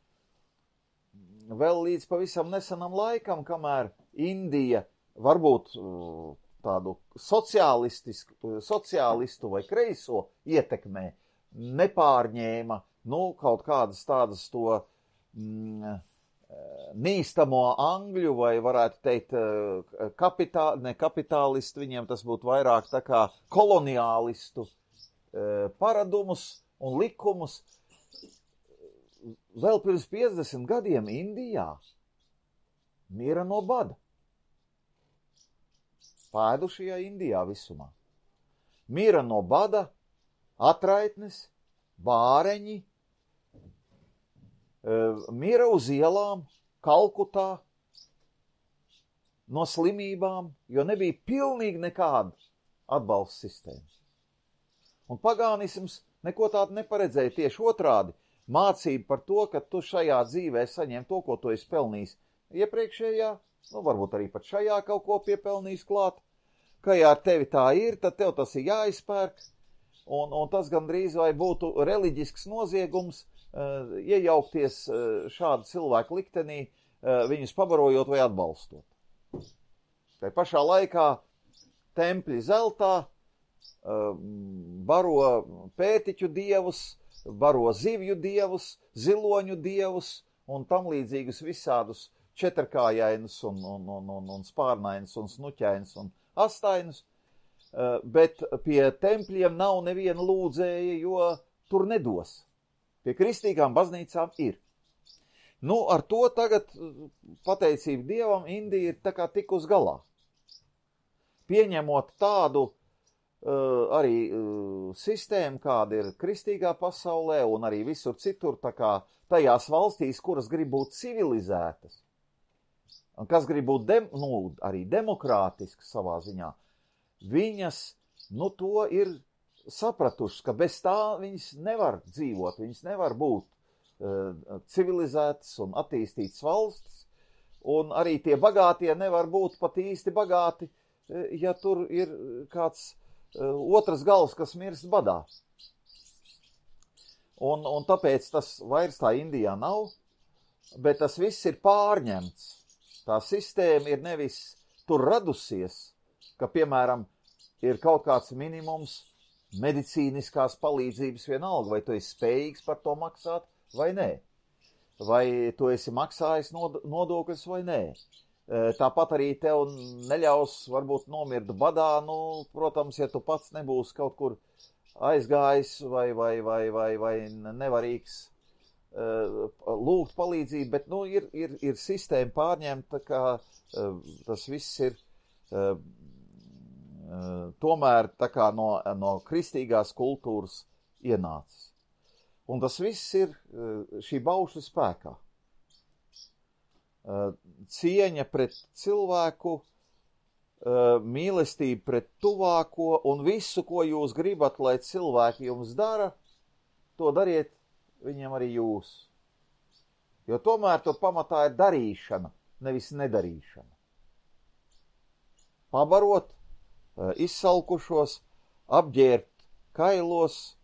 Vēl līdz pavisam nesenam laikam, kamēr Indija varbūt tādu sociālistu vai kreiso ietekmē nepārņēma, kaut kādas tādas to nīstamo angļu vai varētu teikt ne kapitālistu, viņiem tas būtu vairāk tā kā koloniālistu paradumus un likumus. Vēl pirms 50 gadiem Indijā mira no bada. Pēdušajā Indijā visumā. Mira no bada, atraitnes, bāreņi, mira uz ielām, Kalkutā, no slimībām, jo nebija pilnīgi nekāda atbalsta sistēma. Un pagānisms neko tādu neparedzēja, tieši otrādi. Mācība par to, ka tu šajā dzīvē saņem to, ko tu esi pelnījis iepriekšējā, varbūt arī pat šajā kaut ko piepelnījis klāt, ka ja ar tevi tā ir, tad tev tas ir jāizpērk, un tas gandrīz vai būtu reliģisks noziegums iejaukties šādu cilvēku liktenī, viņus pabarojot vai atbalstot. Tai pašā laikā tempļi zeltā baro pētiķu dievus, baro zivju dievus, ziloņu dievus un tam līdzīgus visādus četrkājainus un spārnainus un snuķainus un astainus, bet pie tempļiem nav neviena lūdzēja, jo tur nedos. Pie kristīgām baznīcām ir. Ar to tagad, pateicību Dievam, Indija ir tā kā tikus galā. Pieņemot tādu arī sistēmu, kāda ir kristīgā pasaulē un arī visur citur, tā kā tajās valstīs, kuras grib būt civilizētas, un kas grib būt arī demokrātiskas savā ziņā, viņas, to ir sapratušas, ka bez tā viņas nevar dzīvot, viņas nevar būt civilizētas un attīstītas valstis, un arī tie bagātie nevar būt pat īsti bagāti, ja tur ir kāds otras galvas, kas mirst badā. Un tāpēc tas vairs tā Indijā nav, bet tas viss ir pārņemts. Tā sistēma ir nevis tur radusies, ka, piemēram, ir kaut kāds minimums medicīniskās palīdzības vienalga, vai tu esi spējīgs par to maksāt vai nē. Vai tu esi maksājis nodokļus vai nē. Tāpat arī tev neļaus varbūt nomirt badā, protams, ja tu pats nebūsi kaut kur aizgājis vai nevarīgs lūgt palīdzību, bet ir sistēma pārņemta, ka tas viss ir tomēr tā kā no kristīgās kultūras ienācis. Un tas viss ir šī baušļa spēkā. Cieņa pret cilvēku, mīlestība pret tuvāko un visu, ko jūs gribat, lai cilvēki jums dara, to dariet viņiem arī jūs. Jo tomēr tur pamatā ir darīšana, nevis nedarīšana. Pabarot izsalkušos, apģērbt kailos,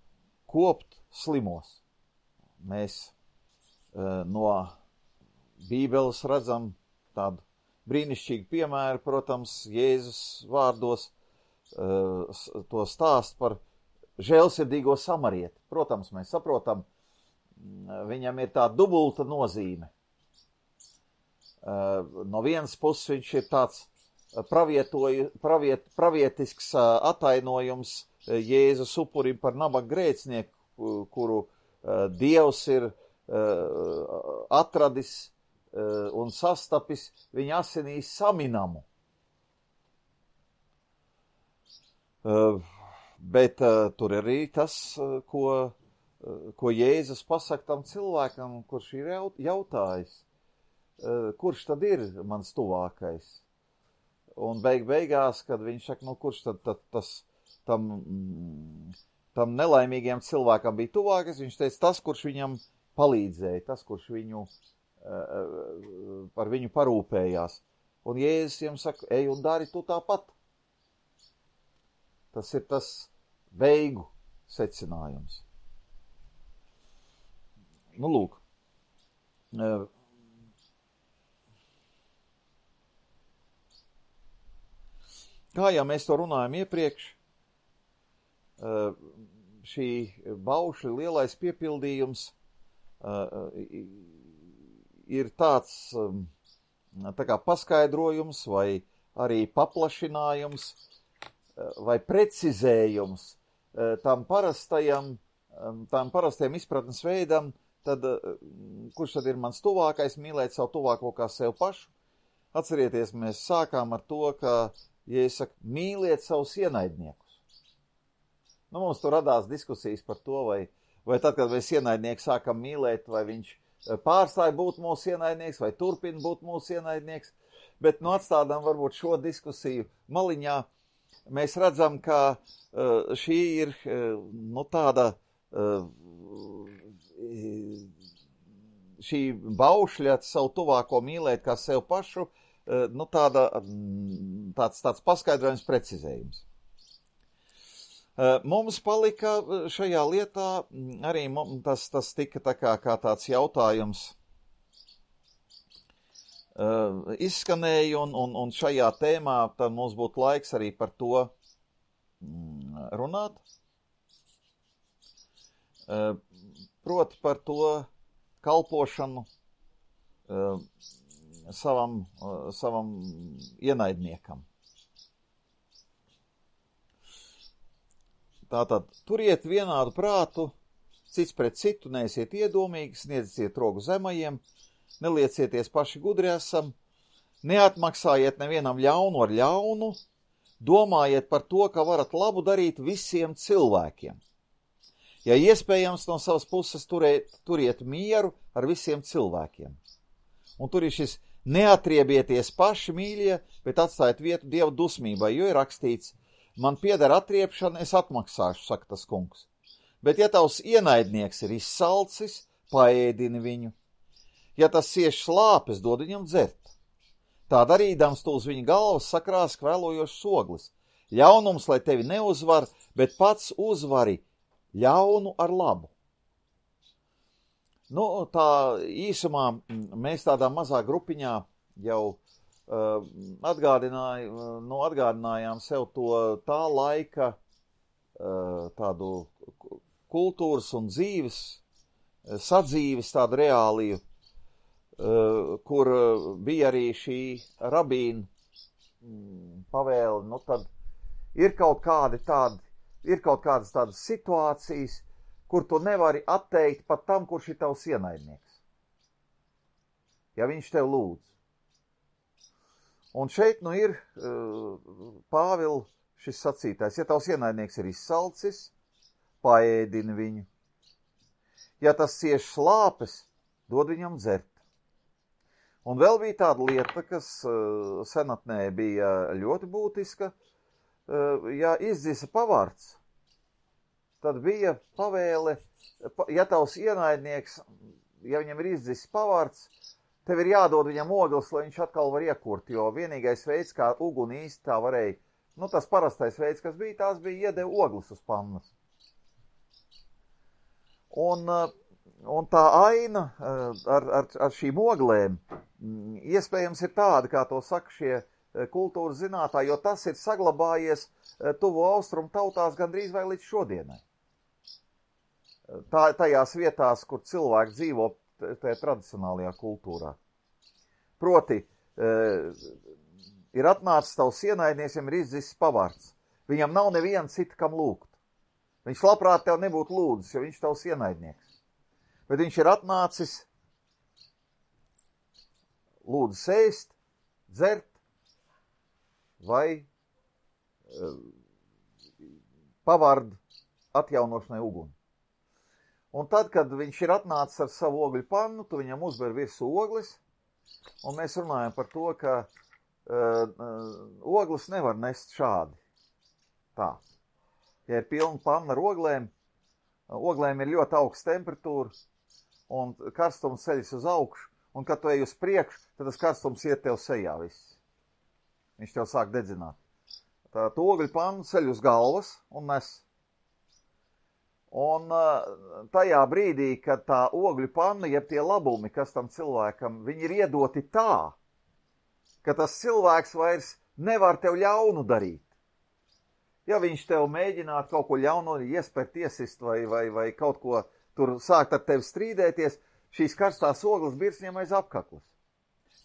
kopt slimos. Mēs no Bībeles redzam tādu brīnišķīgu piemēru, protams, Jēzus vārdos to stāst par žēlsirdīgo samarieti. Protams, mēs saprotam, viņam ir tā dubulta nozīme. No vienas puses viņš ir tāds pravietisks atainojums Jēzus upurim par nabaga grēcinieku, kuru Dievs ir atradis un sastapis viņa asinīs saminamu. Bet tur arī tas, ko Jēzus pasaka tam cilvēkam, kurš ir jautājis, kurš tad ir mans tuvākais? Un beigās, kad viņš saka, kurš tad tam nelaimīgiem cilvēkam bija tuvākais, viņš teica, tas, kurš viņam palīdzēja, tas, kurš par viņu parūpējās. Un Jēzus viņam saka, ej un dari tu tāpat. Tas ir tas beigu secinājums. Lūk. Kā jau mēs to runājam iepriekš, šī baušļa lielais piepildījums ir tāds tā kā paskaidrojums vai arī paplašinājums vai precizējums tam parastajam izpratnes veidam, tad kurš tad ir mans tuvākais, mīlēt savu tuvāko kā sev pašu. Atcerieties, mēs sākām ar to, ka, ja es saku, mīliet savus ienaidniekus. Mums tur radās diskusijas par to, vai tad, kad mēs ienaidnieku sākam mīlēt, vai viņš pārstāja būt mūsu ienaidnieks, vai turpina būt mūsu ienaidnieks, bet atstādām varbūt šo diskusiju maliņā. Mēs redzam, ka šī ir tāda šī baušļa savu tuvāko mīlēt kā sev pašu, nu tāds paskaidrojums, precizējums. Mums palika šajā lietā arī tas tika tā kā tāds jautājums izskanēja, un šajā tēmā tad mums būtu laiks arī par to runāt. Proti par to kalpošanu savam ienaidniekam. Tātad, turiet vienādu prātu, cits pret citu, neesiet iedomīgi, sniedziet rogu zemajiem, neliecieties paši gudri esam, neatmaksājiet nevienam ļaunu ar ļaunu, domājiet par to, ka varat labu darīt visiem cilvēkiem. Ja iespējams, no savas puses turiet mieru ar visiem cilvēkiem. Un tur ir šis neatriebieties paši, mīļie, bet atstājiet vietu Dieva dusmībai, jo ir rakstīts, man pieder atriepšana, es atmaksāšu, saka tas kungs. Bet ja tavs ienaidnieks ir izsalcis, paēdini viņu. Ja tas cieš slāpes, dod viņam dzert. Tā darīdams tu uz viņa galvas sakrās kvēlojošs oglis. Ļaunums, lai tevi neuzvar, bet pats uzvari ļaunu ar labu. Nu, tā īsumā mēs tādā mazā grupiņā jau atgādinājām sev to tā laika tādu kultūras un dzīves, sadzīves tādu reāliju, kur bija arī šī rabīna pavēle, nu tad ir kaut kādas tādas situācijas, kur tu nevari atteikt pat tam, kurš ir tavs ienaidnieks. Ja viņš tev lūdz. Un šeit nu ir Pāvila šis sacītājs. Ja tavs ienaidnieks ir izsalcis, paēdini viņu. Ja tas cieš slāpes, dod viņam dzert. Un vēl bija tāda lieta, kas senatnē bija ļoti būtiska. Ja izdzisa pavārds, tad bija pavēle, ja tavs ienaidnieks, ja viņam ir izdzisis pavārds, tev ir jādod viņam ogles, lai viņš atkal var iekurt, jo vienīgais veids, kā uguni īsti tā varēja, nu tas parastais veids, kas bija, tās bija iedeva ogles uz pannas. Un tā aina ar šīm oglēm iespējams ir tāda, kā to saka šie kultūras zinātāji, jo tas ir saglabājies tuvo austrumu tautās gandrīz vai līdz šodienai. Tajās vietās, kur cilvēki dzīvo tajā tradicionālajā kultūrā. Proti, ir atnācis tavs ienaidnieks, viņam ir izdzisis pavārds. Viņam nav neviena cita, kam lūgt. Viņš labprāt tev nebūtu lūdzis, jo viņš tavs ienaidnieks. Bet viņš ir atnācis lūdzis ēst, dzert vai pavārdu atjaunošanai uguni. Un tad, kad viņš ir atnācis ar savu ogļu pannu, tu viņam uzber virsū ogles, un mēs runājam par to, ka ogles nevar nest šādi. Tā. Ja ir pilna panna ar oglēm ir ļoti augsta temperatūra, un karstums ceļas uz augšu, un kad tu ej uz priekšu, tad tas karstums iet tev sejā viss. Viņš tev sāk dedzināt. Tā ogļu pannu ceļ uz galvas un nes. Un tajā brīdī, kad tā ogļu panna, jeb tie labumi, kas tam cilvēkam, viņi ir iedoti tā, ka tas cilvēks vairs nevar tev ļaunu darīt. Ja viņš tev mēģinātu kaut ko ļaunu iespērt, iesist vai kaut ko tur sākt ar tevi strīdēties, šīs karstās ogles birs viņam aiz apkaklas.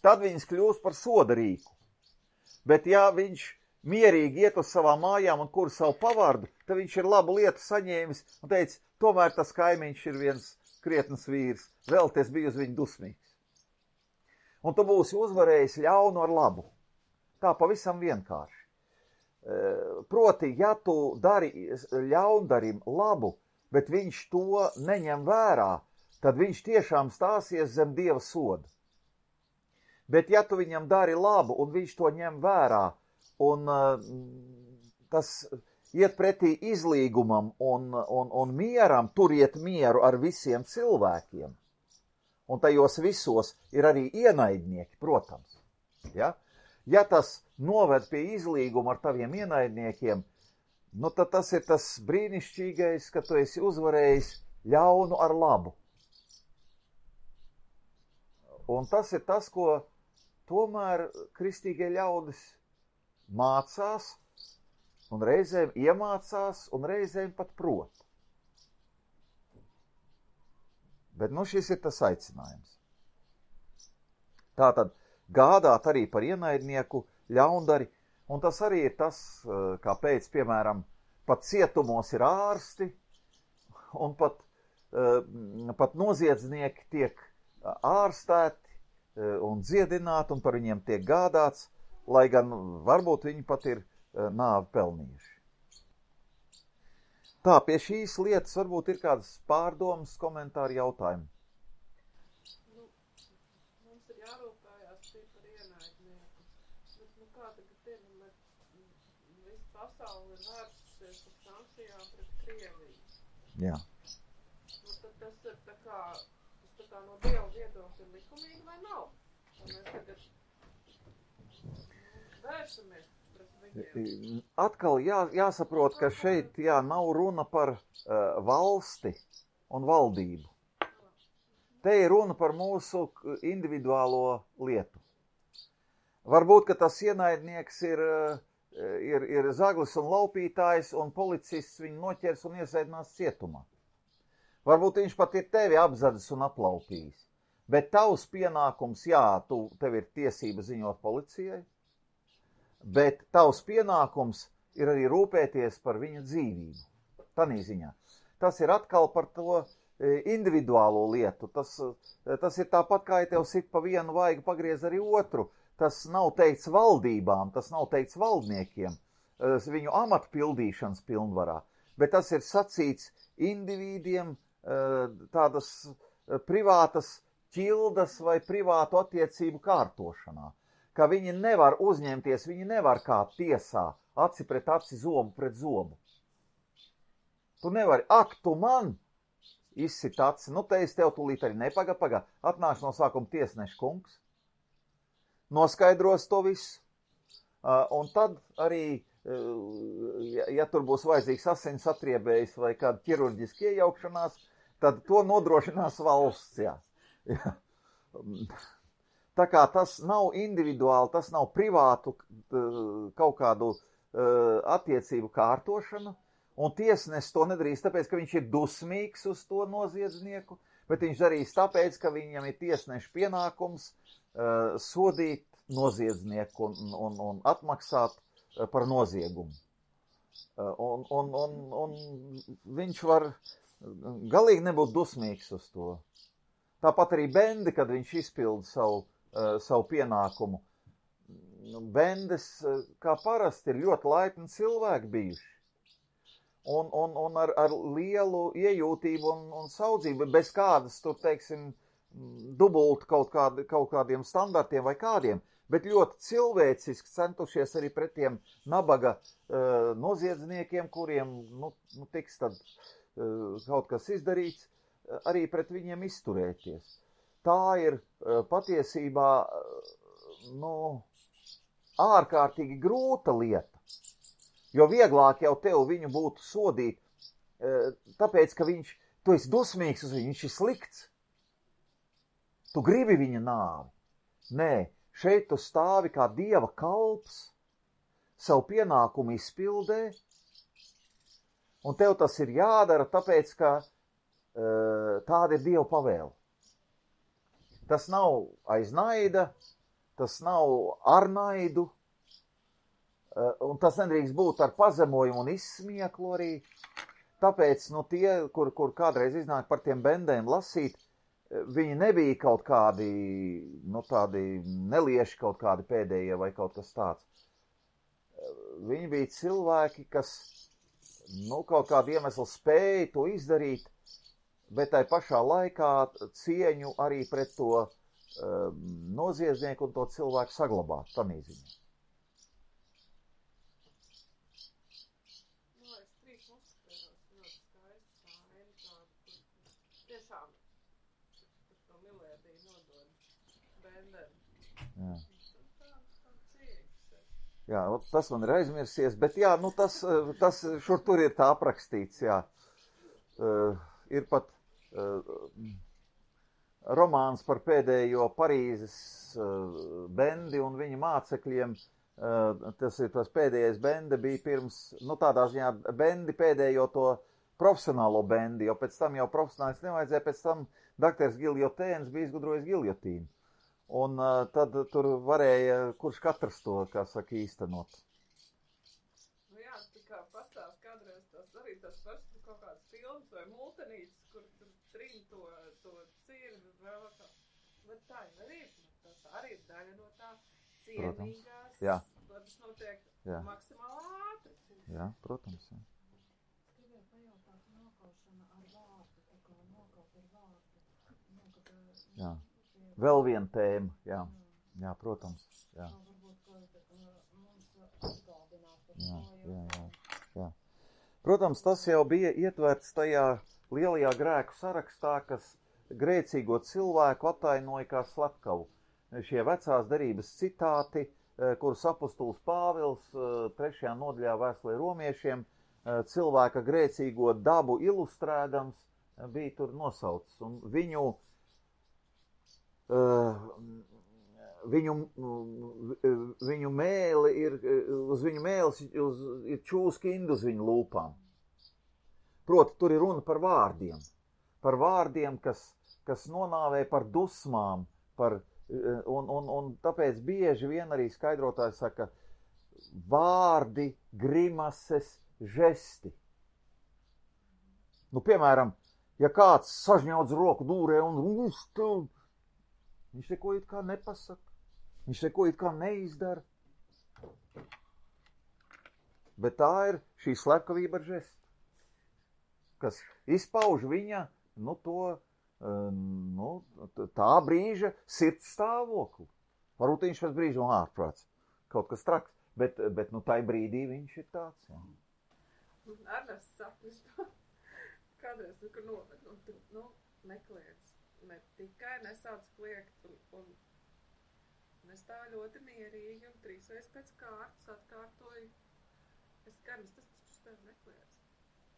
Tad viņas kļūst par soda rīku. Bet ja viņš mierīgi iet uz savām mājām un kur savu pavārdu, tad viņš ir labu lietu saņēmis un teica, tomēr tas kaimiņš ir viens krietnas vīrs, vēl ties bija uz viņu dusmīgs. Un tu būsi uzvarējis ļaunu ar labu. Tā pavisam vienkārši. Proti, ja tu dari ļaundarim labu, bet viņš to neņem vērā, tad viņš tiešām stāsies zem Dieva soda. Bet ja tu viņam dari labu un viņš to ņem vērā, un tas iet pretī izlīgumam un mieram, turiet mieru ar visiem cilvēkiem. un tajos visos ir arī ienaidnieki, protams. Ja, ja tas noved pie izlīguma ar taviem ienaidniekiem, nu tad tas ir tas brīnišķīgais, ka tu esi uzvarējis ļaunu ar labu. Un tas ir tas, ko tomēr kristīgie ļaudis mācās, un reizēm iemācās, un reizēm pat prot. Bet nu šis ir tas aicinājums. Tātad gādāt arī par ienaidnieku ļaundari, un tas arī ir tas, kāpēc, piemēram, pat cietumos ir ārsti, un pat noziedznieki tiek ārstēti un dziedināti, un par viņiem tiek gādāts, lai gan varbūt viņi pat ir nāvi pelnījuši. Tā, pie šīs lietas varbūt ir kādas pārdomas, komentāri, jautājumi. Mums ir jārūpējās par ienaidnieku. Bet, kā tagad ir, visa pasaule ir vērsusies ar sankcijām pret Krieviju. Jā. Tad tas ir tā kā no Dieva viedokļa ir likumīgi vai nav? Un mēs tagad vēršamies pret viņiem. Atkal jāsaprot, ka šeit nav runa par valsti un valdību. Te ir runa par mūsu individuālo lietu. Varbūt, ka tas ienaidnieks ir zaglis un laupītājs, un policists viņu noķers un iesēdinās cietumā. Varbūt viņš pat ir tevi apzadis un aplaupījis. Bet tavs pienākums, tev ir tiesība ziņot policijai, bet tavs pienākums ir arī rūpēties par viņa dzīvību. Tanī ziņā. Tas ir atkal par to individuālo lietu. Tas ir tāpat, kā ja tev sit pa vienu vaigu pagriez arī otru. Tas nav teikts valdībām, tas nav teikts valdniekiem, viņu amatu pildīšanas pilnvarā, bet tas ir sacīts individiem tādas privātas ķildas vai privātu attiecību kārtošanā, ka viņi nevar uzņemties, viņi nevar kā tiesā aci pret aci, zobu pret zobu. Tu nevari, tu man izsit aci, te es tev tūlīt arī nepagaid, atnāks no sākuma tiesneša kungs, noskaidros to visu, un tad arī, ja tur būs vajadzīgs asins atriebējs vai kāda ķirurģiska iejaukšanās, tad to nodrošinās valsts, jā. Tā kā tas nav individuāli, tas nav privātu kaut kādu attiecību kārtošanu, un tiesnesis to nedarīs tāpēc, ka viņš ir dusmīgs uz to noziedznieku, bet viņš darīs tāpēc, ka viņam ir tiesneša pienākums sodīt noziedznieku un atmaksāt par noziegumu. Un viņš var galīgi nebūt dusmīgs uz to. Tāpat arī Bendi, kad viņš izpilda savu pienākumu. Bendes, kā parasti, ir ļoti laipni cilvēki bijuši. Un ar lielu iejūtību un saudzību, bez kādas, tur, teiksim, dubult kaut kādiem standartiem vai kādiem, bet ļoti cilvēciski centušies arī pret tiem nabaga noziedzniekiem, kuriem tiks tad kaut kas izdarīts, arī pret viņiem izturēties. Tā ir patiesībā ārkārtīgi grūta lieta, jo vieglāk jau tev viņu būtu sodīt, tāpēc, ka tu esi dusmīgs uz viņu, viņš ir slikts. Tu gribi viņa nāvi. Nē, šeit tu stāvi kā Dieva kalps, savu pienākumu izpildē, un tev tas ir jādara, tāpēc, ka tāda ir Dieva pavēle. Tas nav aiz naida, tas nav ar naidu, un tas nedrīkst būt ar pazemojumu un izsmieklu arī. Tāpēc, tie, kur kādreiz iznāk par tiem bendēm lasīt, viņi nebija kaut kādi, tādi nelieši kaut kādi pēdējie vai kaut kas tāds. Viņi bija cilvēki, kas, kaut kādu iemeslu spēja to izdarīt, bet tai pašā laikā cieņu arī pret to noziedznieku un to cilvēku saglabāt, tanī ziņā. Es trīs noskatījos ļoti skaisti tā aina tāda, kur tiešām par to milēdi Jā. Cieņas. Jā, tas man ir aizmirsies, bet jā, nu tas šur tur ir tā aprakstīts, jā. Ir pat romāns par pēdējo Parīzes bendi un viņa mācekļiem. Tas ir tas pēdējais bende bija pirms, nu tādā ziņā bendi pēdējo to profesionālo bendi, jo pēc tam jau profesionālis nevajadzēja, pēc tam doktors Giljotēns bija izgudrojis giljotīnu. Un tad tur varēja, kurš katrs to, kā saka, īstenot. Nu jā, tā kā pastāst kādreiz tas arī tas pašs kaut kāds films vai multenītis, kur tur trin to cirvi vēl kā. Bet tā jau arī, tas arī ir daļa no tā cienīgās, lai tas notiek maksimāli ātri. Jā, protams, jā. Es gribēju pajautāt nokaušana ar vārdu, tā kā nokaut ar vārdu. Jā. Vēl viena tēma, jā. Jā, protams, jā. Varbūt, ka mums atgādināt par šo. Jā. Protams, tas jau bija ietverts tajā lielajā grēku sarakstā, kas grēcīgo cilvēku attainoja kā slepkavu. Šie vecās derības citāti, kurus apustulis Pāvils 3. nodaļā vēstulē romiešiem, cilvēka grēcīgo dabu ilustrēdams, bija tur nosaucis. Un viņu mēli ir, uz viņu mēles ir čūska indu uz viņu lūpām. Proti, tur ir runa par vārdiem, kas nonāvē par dusmām, un tāpēc bieži vien arī skaidrotāji saka vārdi, grimases, žesti. Nu, piemēram, ja kāds sažņaudz roku dūrē un viņš neko it kā nepasaka, viņš neko it kā neizdara. Bet tā ir šī slepkavība ar žestu, kas izpauž viņa, tā brīža sirds stāvokli. Varbūt viņš pēc brīža ārprāts, kaut kas traks, bet tai brīdī viņš ir tāds. Jā. Arnes sapnis, kādreiz, nekliedz. Ne tikai nesauc kliegt un nestāv ļoti mierīgi un 3 reizes pēc kārtas atkārtoju. Es skaidrs, tas taču tev nekliedz.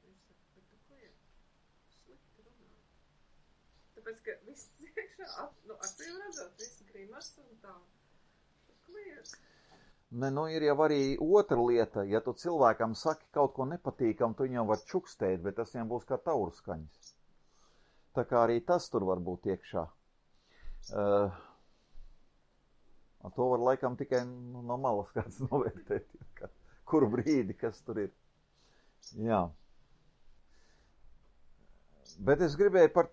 Viņš saka, bet tu kliedz. Slikti runā. Tāpēc, ka viss iekšā, acīm redzot, viss grimas un tā. Tu kliedz. Ne, ir jau arī otra lieta. Ja tu cilvēkam saki kaut ko nepatīkam, tu viņam var čukstēt, bet tas viņam būs kā taurskaņas. Tā kā arī tas tur var būt iekšā. To var laikam tikai no malas kāds novērtēt, kuru brīdi, kas tur ir. Jā. Bet es gribēju par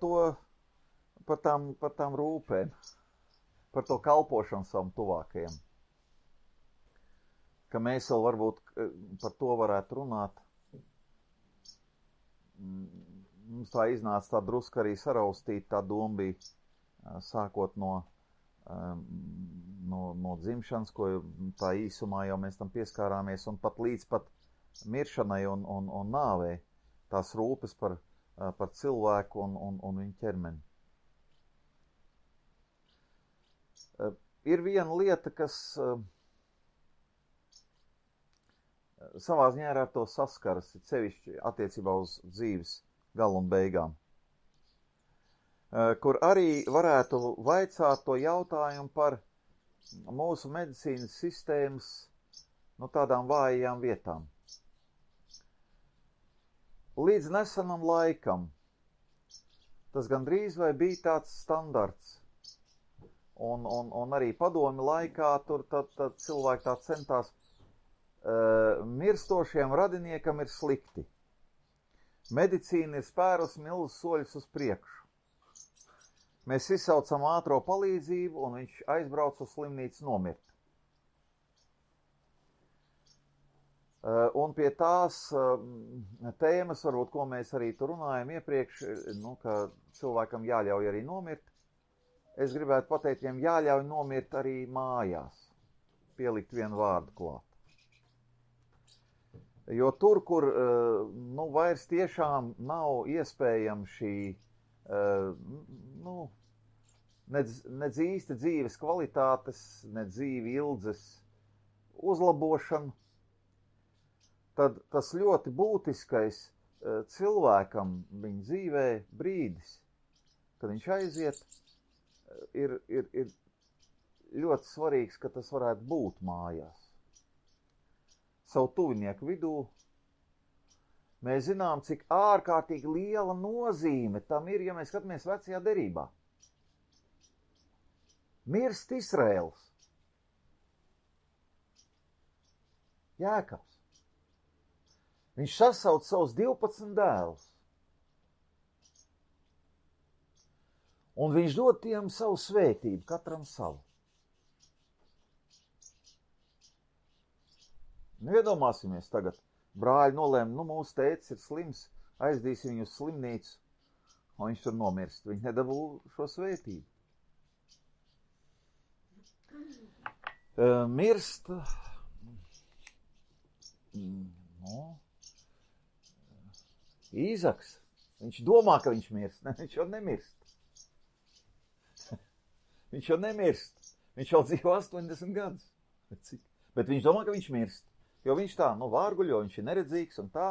tām rūpēm, par to kalpošanu savam tuvākajam. Ka mēs vēl varbūt par to varētu runāt. Mums tā iznāca tā druska arī saraustīt, tā doma bija sākot no dzimšanas, ko tā īsumā jau mēs tam pieskārāmies, un pat līdz pat miršanai un nāvei, tās rūpes par cilvēku un viņu ķermeni. Ir viena lieta, kas savā ziņā ar to saskaras, sevišķi attiecībā uz dzīves galu un beigām, kur arī varētu vaicāt to jautājumu par mūsu medicīnas sistēmas tādām vājajām vietām. Līdz nesenam laikam tas gandrīz vai bija tāds standarts, un arī padomi laikā tur tad cilvēki tā centās, mirstošiem radiniekam ir slikti. Medicīna ir spērus milzus soļus uz priekšu. Mēs izsaucam ātro palīdzību, un viņš aizbrauc uz slimnīcu nomirt. Un pie tās tēmas, varbūt, ko mēs arī tur runājam iepriekš, ka cilvēkam jāļauj arī nomirt, es gribētu pateikt, viņam jāļauj nomirt arī mājās, pielikt vienu vārdu klāt. Jo tur, kur vairs tiešām nav iespējama šī nedz īsti dzīves kvalitātes, nedz dzīvi ildzes uzlabošanu, tad tas ļoti būtiskais cilvēkam viņa dzīvē brīdis, kad viņš aiziet, ir ļoti svarīgs, ka tas varētu būt mājās. Savu tuvinieku vidū. Mēs zinām, cik ārkārtīgi liela nozīme tam ir, ja mēs skatāmies vecajā derībā. Mirst Izraels. Jēkabs. Viņš sasauc savus 12 dēlus. Un viņš dod tiem savu svētību, katram savu. Iedomāsimies tagad. Brāļi nolēma, mūsu tētis ir slims, aizdīsim viņu uz slimnīcu, un viņš tur nomirst. Viņi nedabū šo svētību. Mirst, Īzaks. Viņš domā, ka viņš mirst. Ne, viņš jau nemirst. Viņš jau nemirst. Viņš jau dzīvo 80 gadus. Bet viņš domā, ka viņš mirst. Jo viņš tā, vārguļo, viņš ir neredzīgs un tā.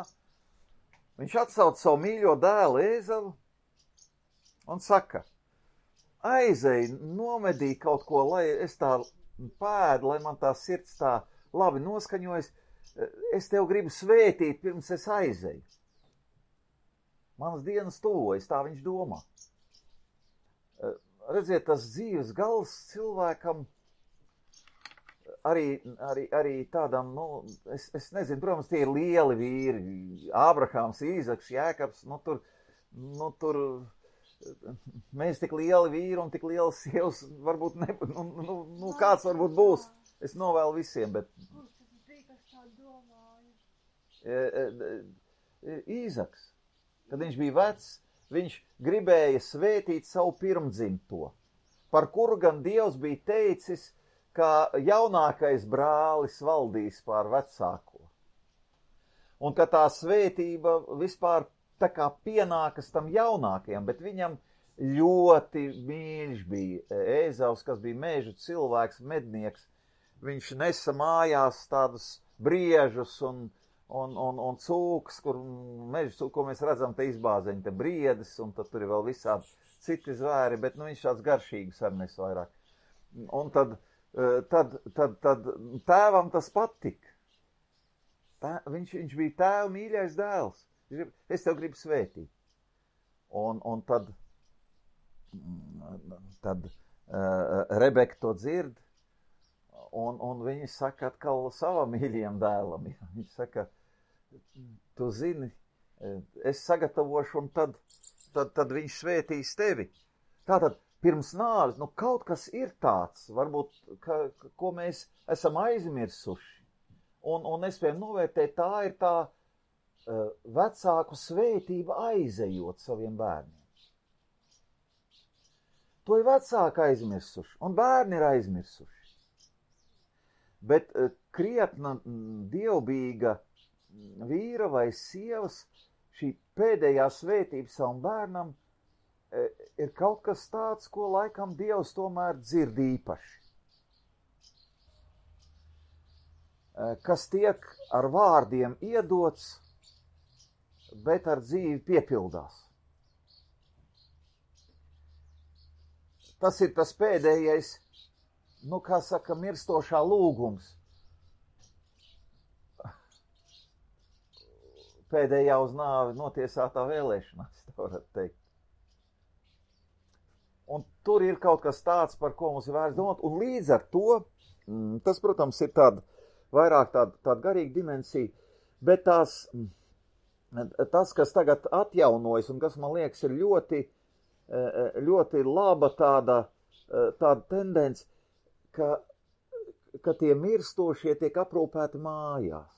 Viņš atsauc savu mīļo dēlu Ēzavu un saka, aizej, nomedī kaut ko, lai es tā pēdu, lai man tā sirds tā labi noskaņojas. Es tev gribu svētīt, pirms es aizeju. Manas dienas tuvojas, tā viņš domā. Redziet, tas dzīves gals cilvēkam arī tādam, es nezinu, protams, tie ir lieli vīri, Ābrahāms, Īzaks, Jēkabs, tur mēs tik lieli vīri un tik lielas sievas, varbūt kāds varbūt būs, es novēlu visiem, bet Īzaks, kad viņš bija vecs, viņš gribēja svētīt savu pirmdzimto, par kuru gan Dievs bija teicis, ka jaunākais brālis valdīs pār vecāko. Un ka tā svētība vispār tā kā pienākas tam jaunākajam, bet viņam ļoti mīļš bija Ēzavs, kas bija mežu cilvēks, mednieks. Viņš nesa mājās tādus briežus un cūkas, kur mežu cūku, ko mēs redzam, te izbāzeņi, te briedis, un tad tur ir vēl visādi citi zvēri, bet viņš tāds garšīgs ar nes vairāk. Un tad tēvam tas patika. Viņš bija tēva mīļais dēls. Es tev gribu svētīt. Un tad Rebeka to dzird, un viņa saka atkal savam mīļajam dēlam. Viņa saka, tu zini, es sagatavošu, un tad viņš svētīs tevi. Tātad, pirms nāves, kaut kas ir tāds, varbūt, ko mēs esam aizmirsuši. Un nespējam novērtēt, tā ir tā vecāku svētība aizejot saviem bērniem. To ir vecāki aizmirsuši, un bērni ir aizmirsuši. Bet krietna dievbijīga vīra vai sievas, šī pēdējā svētība savam bērnam, ir kaut kas tāds, ko laikam Dievs tomēr dzird īpaši. Kas tiek ar vārdiem iedots, bet ar dzīvi piepildās. Tas ir tas pēdējais, kā saka, mirstošā lūgums. Pēdējā uz nāvi notiesātā vēlēšanās, tā varētu teikt. Un tur ir kaut kas tāds, par ko mums ir vērts domāt, un līdz ar to, tas, protams, ir vairāk tāda garīga dimensija, bet tas, kas tagad atjaunojas, un kas, man liekas, ir ļoti, ļoti laba tāda tendence, ka tie mirstošie tiek aprūpēti mājās.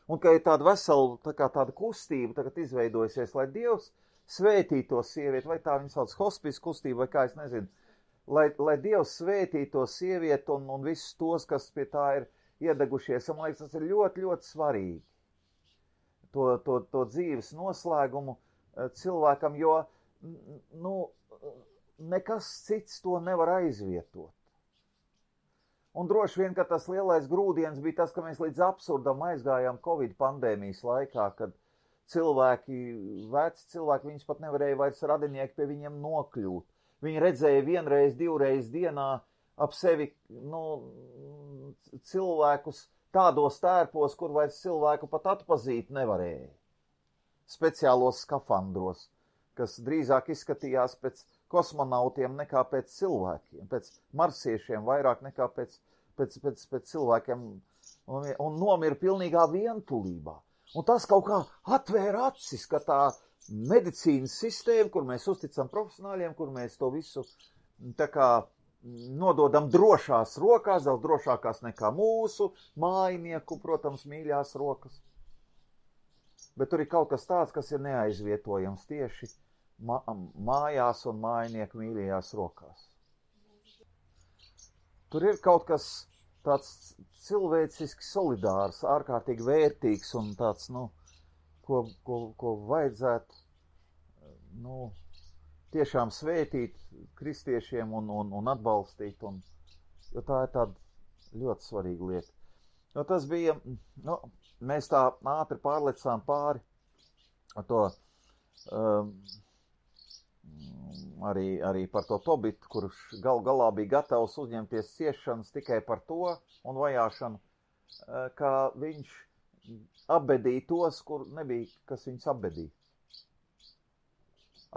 Un ka ir tāda vesela, tāda kustība tagad izveidojusies, lai Dievs svētīto sievieti, vai tā viņa sauc hospice kustība, vai kā es nezinu, lai Dievs svētīto sievieti un visus tos, kas pie tā ir iedegušies. Man liekas, tas ir ļoti, ļoti svarīgi. To dzīves noslēgumu cilvēkam, jo, nekas cits to nevar aizvietot. Un droši vien, ka tas lielais grūdienis bija tas, ka mēs līdz absurdam aizgājām Covid pandēmijas laikā, kad cilvēki, veci cilvēki, viņus pat nevarēja vairs radinieki pie viņiem nokļūt. Viņi redzēja vienreiz, divreiz dienā ap sevi cilvēkus tādos tērpos, kur vairs cilvēku pat atpazīt nevarēja. Speciālos skafandros, kas drīzāk izskatījās pēc kosmonautiem nekā pēc cilvēkiem, pēc marsiešiem vairāk nekā pēc cilvēkiem, un nomira pilnīgā vientulībā. Un tas kaut kā atvēra acis, ka tā medicīnas sistēma, kur mēs uzticam profesionāļiem, kur mēs to visu tā kā nododam drošās rokās, daudz drošākās nekā mūsu mājinieku, protams, mīļās rokas. Bet tur ir kaut kas tāds, kas ir neaizvietojams tieši mājās un mājinieku mīļajās rokās. Tur ir kaut kas tāds cilvēciski solidārs, ārkārtīgi vērtīgs un tāds, ko vajadzētu, tiešām svētīt kristiešiem un atbalstīt, jo tā ir tāda ļoti svarīga lieta. Jo tas bija, mēs tā ātri pārlecām pāri to, arī par to Tobitu, kurš galā bija gatavs uzņemties ciešanas tikai par to un vajāšanu, ka viņš apbedīja tos, kur nebija, kas viņus apbedīja.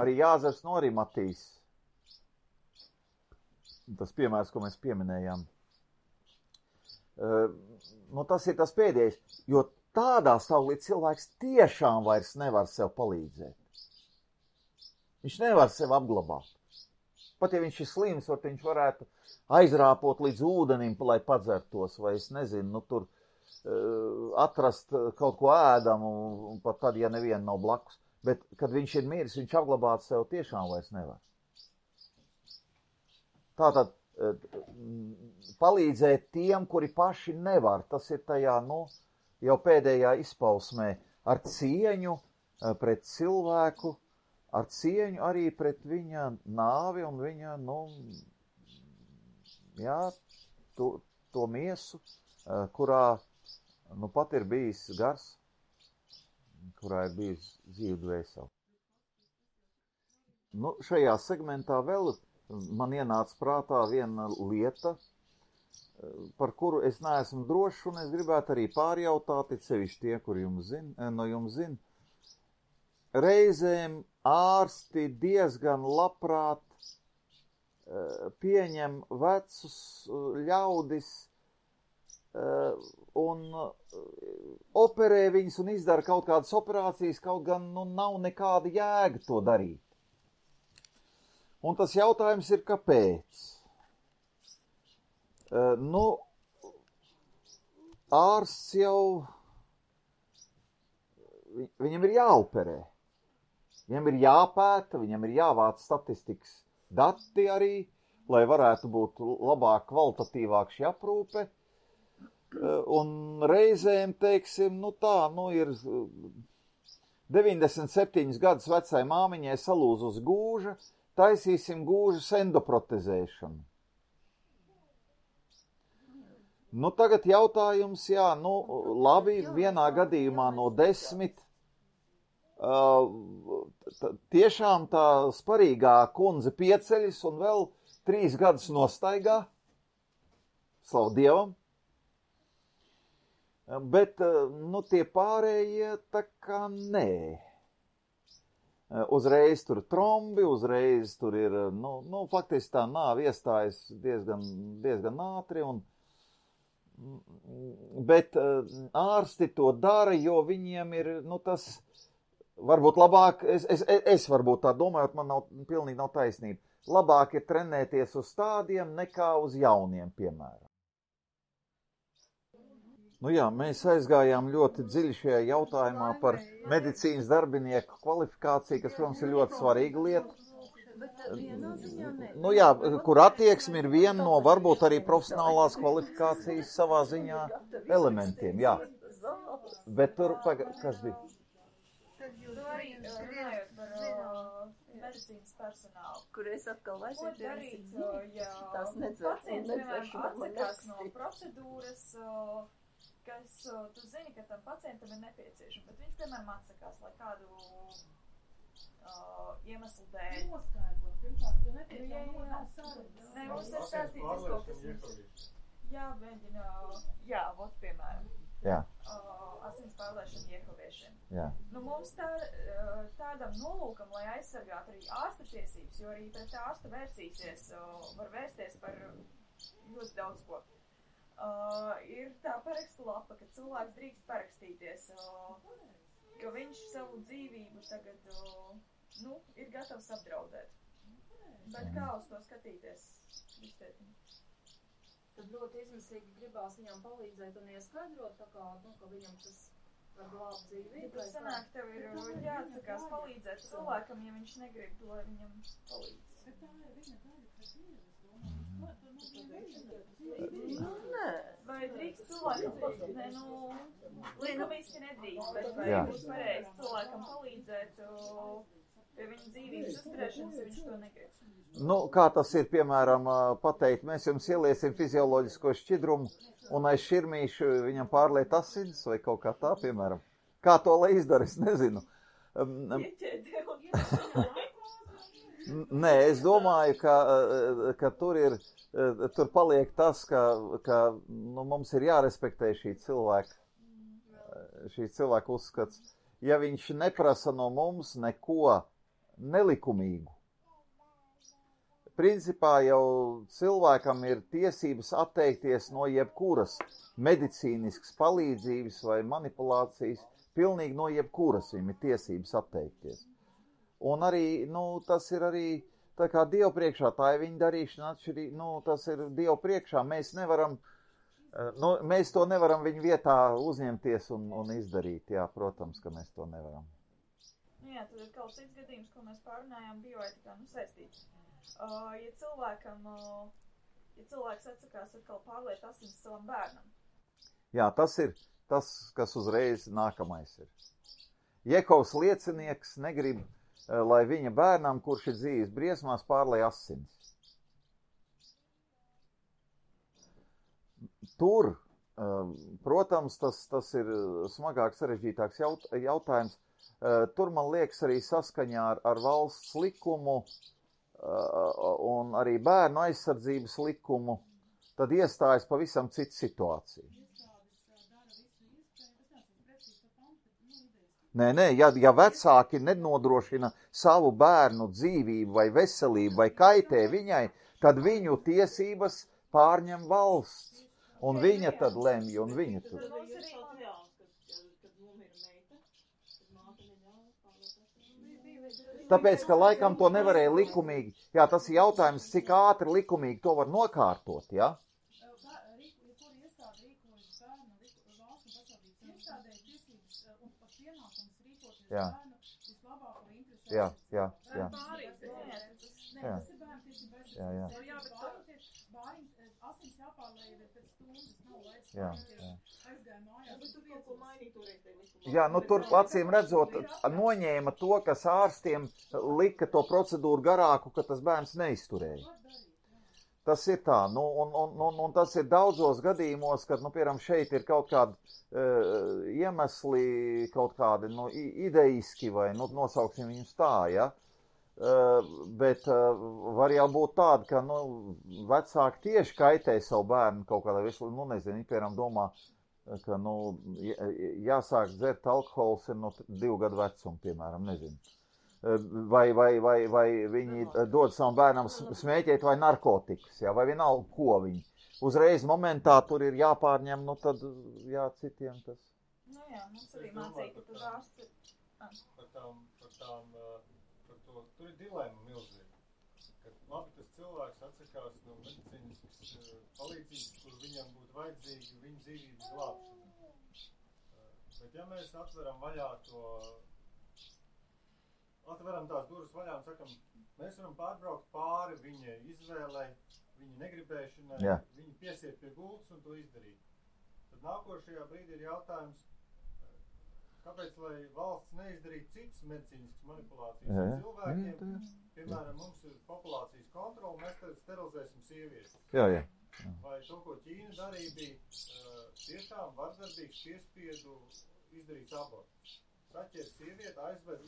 Arī Jāzeps no Arimatijas, tas piemērs, ko mēs pieminējām. Tas ir tas pēdējais, jo tādā stāvoklī cilvēks tiešām vairs nevar sev palīdzēt. Viņš nevar sev apglabāt. Pat ja viņš ir slims, viņš varētu aizrāpot līdz ūdenim, lai padzertos, vai es nezinu, tur atrast kaut ko ēdamu, pat tad, ja neviena nav blakus. Bet, kad viņš ir miris, viņš apglabāt sev tiešām vairs nevar. Tātad, palīdzēt tiem, kuri paši nevar, tas ir tajā, jau pēdējā izpausmē, ar cieņu pret cilvēku, ar cieņu arī pret viņa nāvi un viņa, to miesu, kurā, pat ir bijis gars, kurā ir bijis dzīve dvēsele. Šajā segmentā vēl man ienāca prātā viena lieta, par kuru es neesmu drošs, un es gribētu arī pārjautāt, it sevišķi tie, kur no jums zina. Reizēm ārsti diezgan labprāt pieņem vecus ļaudis un operē viņus un izdara kaut kādas operācijas, kaut gan nav nekāda jēga to darīt. Un tas jautājums ir, kāpēc? Ārsts jau, viņam ir jāoperē. Viņam ir jāpēta, viņam ir jāvāc statistikas dati arī, lai varētu būt labāk, kvalitatīvāk šī aprūpe. Un reizēm, teiksim, ir 97 gadus vecai māmiņai salūz uz gūža, taisīsim gūžas endoprotezēšanu. Tagad jautājums, labi, vienā gadījumā no 10, tiešām tā sparīgā kundze pieceļas un vēl 3 gadus nostaigā, slavu Dievam. Bet, tie pārējie tā kā nē. Uzreiz tur trombi, uzreiz tur ir, faktiski tā nāve iestājas diezgan ātri, bet ārsti to dara, jo viņiem ir, tas varbūt labāk, es varbūt tā domāju, man pilnīgi nav taisnība, labāk ir trenēties uz tādiem nekā uz jauniem, piemēram. Mēs aizgājām ļoti dziļi šajā jautājumā par medicīnas darbinieku kvalifikāciju, kas, protams, ir ļoti svarīga lieta. Kur attieksme ir viena no varbūt arī profesionālās kvalifikācijas savā ziņā elementiem, jā. Bet tur, kas bija? Tad jūs arī runājot par medicīnas personālu. Kur es atkal Ko vairs darīt, ja tās nedzēr, pacients, piemēram, atsakās no procedūras, kas tu zini, ka tam pacientam ir nepieciešama, bet viņš, piemēram, atsakās, lai kādu iemeslu dēļ. Noskaidro, pirmkārt, tu netiek jau nav sarunas. Nē, mums ir stāstīts kaut kas. Jā, mēģina, jā, vot, piemēram. Jā. Asins pārlēšana iehoviešiem. Jā. Nu, mums tādam nolūkam, lai aizsargātu arī ārsta tiesības, jo arī pret ārstu vērsīsies, var vērsties par ļoti daudz ko. Ir tā parakstu lapa, ka cilvēks drīkst parakstīties, ka viņš savu dzīvību tagad, ir gatavs apdraudēt. Bet kā uz to skatīties? Tad ļoti izmisīgi gribās viņam palīdzēt un ieskaidrot, tā kā, ka viņam tas var glābt dzīvību. Ja tas sanāk, tev ir jāatsakās palīdzēt cilvēkam, ja viņš negrib, lai viņam palīdz. Bet tā ir viņa daļa, kas ir, Nē. Vai drīkst cilvēkam palīdzēt? Likumiski nedrīkst, bet vai būs pareizi cilvēkam palīdzēt pie viņa dzīvības uzturēšanas, ja viņš to negrib? Kā tas ir, piemēram, pateikt, mēs jums ieliesim fizioloģisko šķidrumu un aiz širmīšu viņam pārliet asins vai kaut kā tā, piemēram. Kā to lai izdara, es nezinu. Nē, es domāju, ka tur paliek tas, ka mums ir jārespektē šī cilvēka uzskats. Ja viņš neprasa no mums neko nelikumīgu, principā jau cilvēkam ir tiesības atteikties no jebkuras medicīniskas palīdzības vai manipulācijas, pilnīgi no jebkuras viņam ir tiesības atteikties. Un arī, tas ir arī tā kā Dievu priekšā, tā ir viņa darīšana atšķirīgi, tas ir Dievu priekšā, mēs to nevaram viņa vietā uzņemties un izdarīt, jā, protams, ka mēs to nevaram. Jā, tad ir kaut cits gadījums, ko mēs pārunājām bioetikā, saistīts. Ja cilvēks atsakās atkal pārliet asins savam bērnam. Jā, tas ir tas, kas uzreiz nākamais ir. Jehovas liecinieks negrib, lai viņa bērnam, kurš ir dzīves briesmās, pārlej asins. Tur, protams, tas ir smagāks, sarežģītāks jautājums. Tur, man liekas, arī saskaņā ar valsts likumu un arī bērnu aizsardzības likumu, tad iestājas pavisam cita situācija. Nē, ja vecāki nenodrošina savu bērnu dzīvību vai veselību vai kaitē viņai, tad viņu tiesības pārņem valsts. Un viņa tad lemj, un viņa tad. Tāpēc, ka laikam to nevarēja likumīgi. Jā, tas ir jautājums, cik ātri likumīgi to var nokārtot, jā? Jā. Jā, tur acīm redzot, noņēma to, kas ārstiem lika to procedūru garāku, ka tas bērns neizturēja. Tas ir tā, un tas ir daudzos gadījumos, kad, piemēram, šeit ir kaut kādi iemesli, kaut kādi, ideiski vai, nosauksim viņus tā, ja? Bet var jau būt tāda, ka, vecāki tieši kaitē savu bērnu kaut kādā veselībā, nezinu, piemēram, domā, ka, jāsāk dzert alkohols ir no 2 gadu vecuma, piemēram, nezinu. Vai viņi dod savam bērnam smēķēt vai narkotikas, jā, vai vienalga, ko viņi. Uzreiz momentā tur ir jāpārņem, tad, jā, citiem tas. Jā, mums arī mācīja, ka tur ārsts ir. Tur ir dilemma milzīga. Kad labi tas cilvēks atsakās no medicīniskas palīdzības, kur viņam būtu vajadzīgi viņa dzīvības glābšana. Bet ja mēs atveram tās durvis vaļā un sakam, mēs varam pārbraukt pāri viņa izvēlei, viņa negribēšanai, viņa piesiet pie gultas un to izdarīt. Tad nākošajā brīdī ir jautājums, kāpēc, lai valsts neizdarītu citas medicīniskas manipulācijas ar cilvēkiem, piemēram, mums ir populācijas kontrola, mēs tad sterilizēsim sievietes. Jā. Vai to, ko Ķīna darīja, bija tiešām vardarbīgs piespiedu izdarīts abortus. Saķer sievieti, aizved,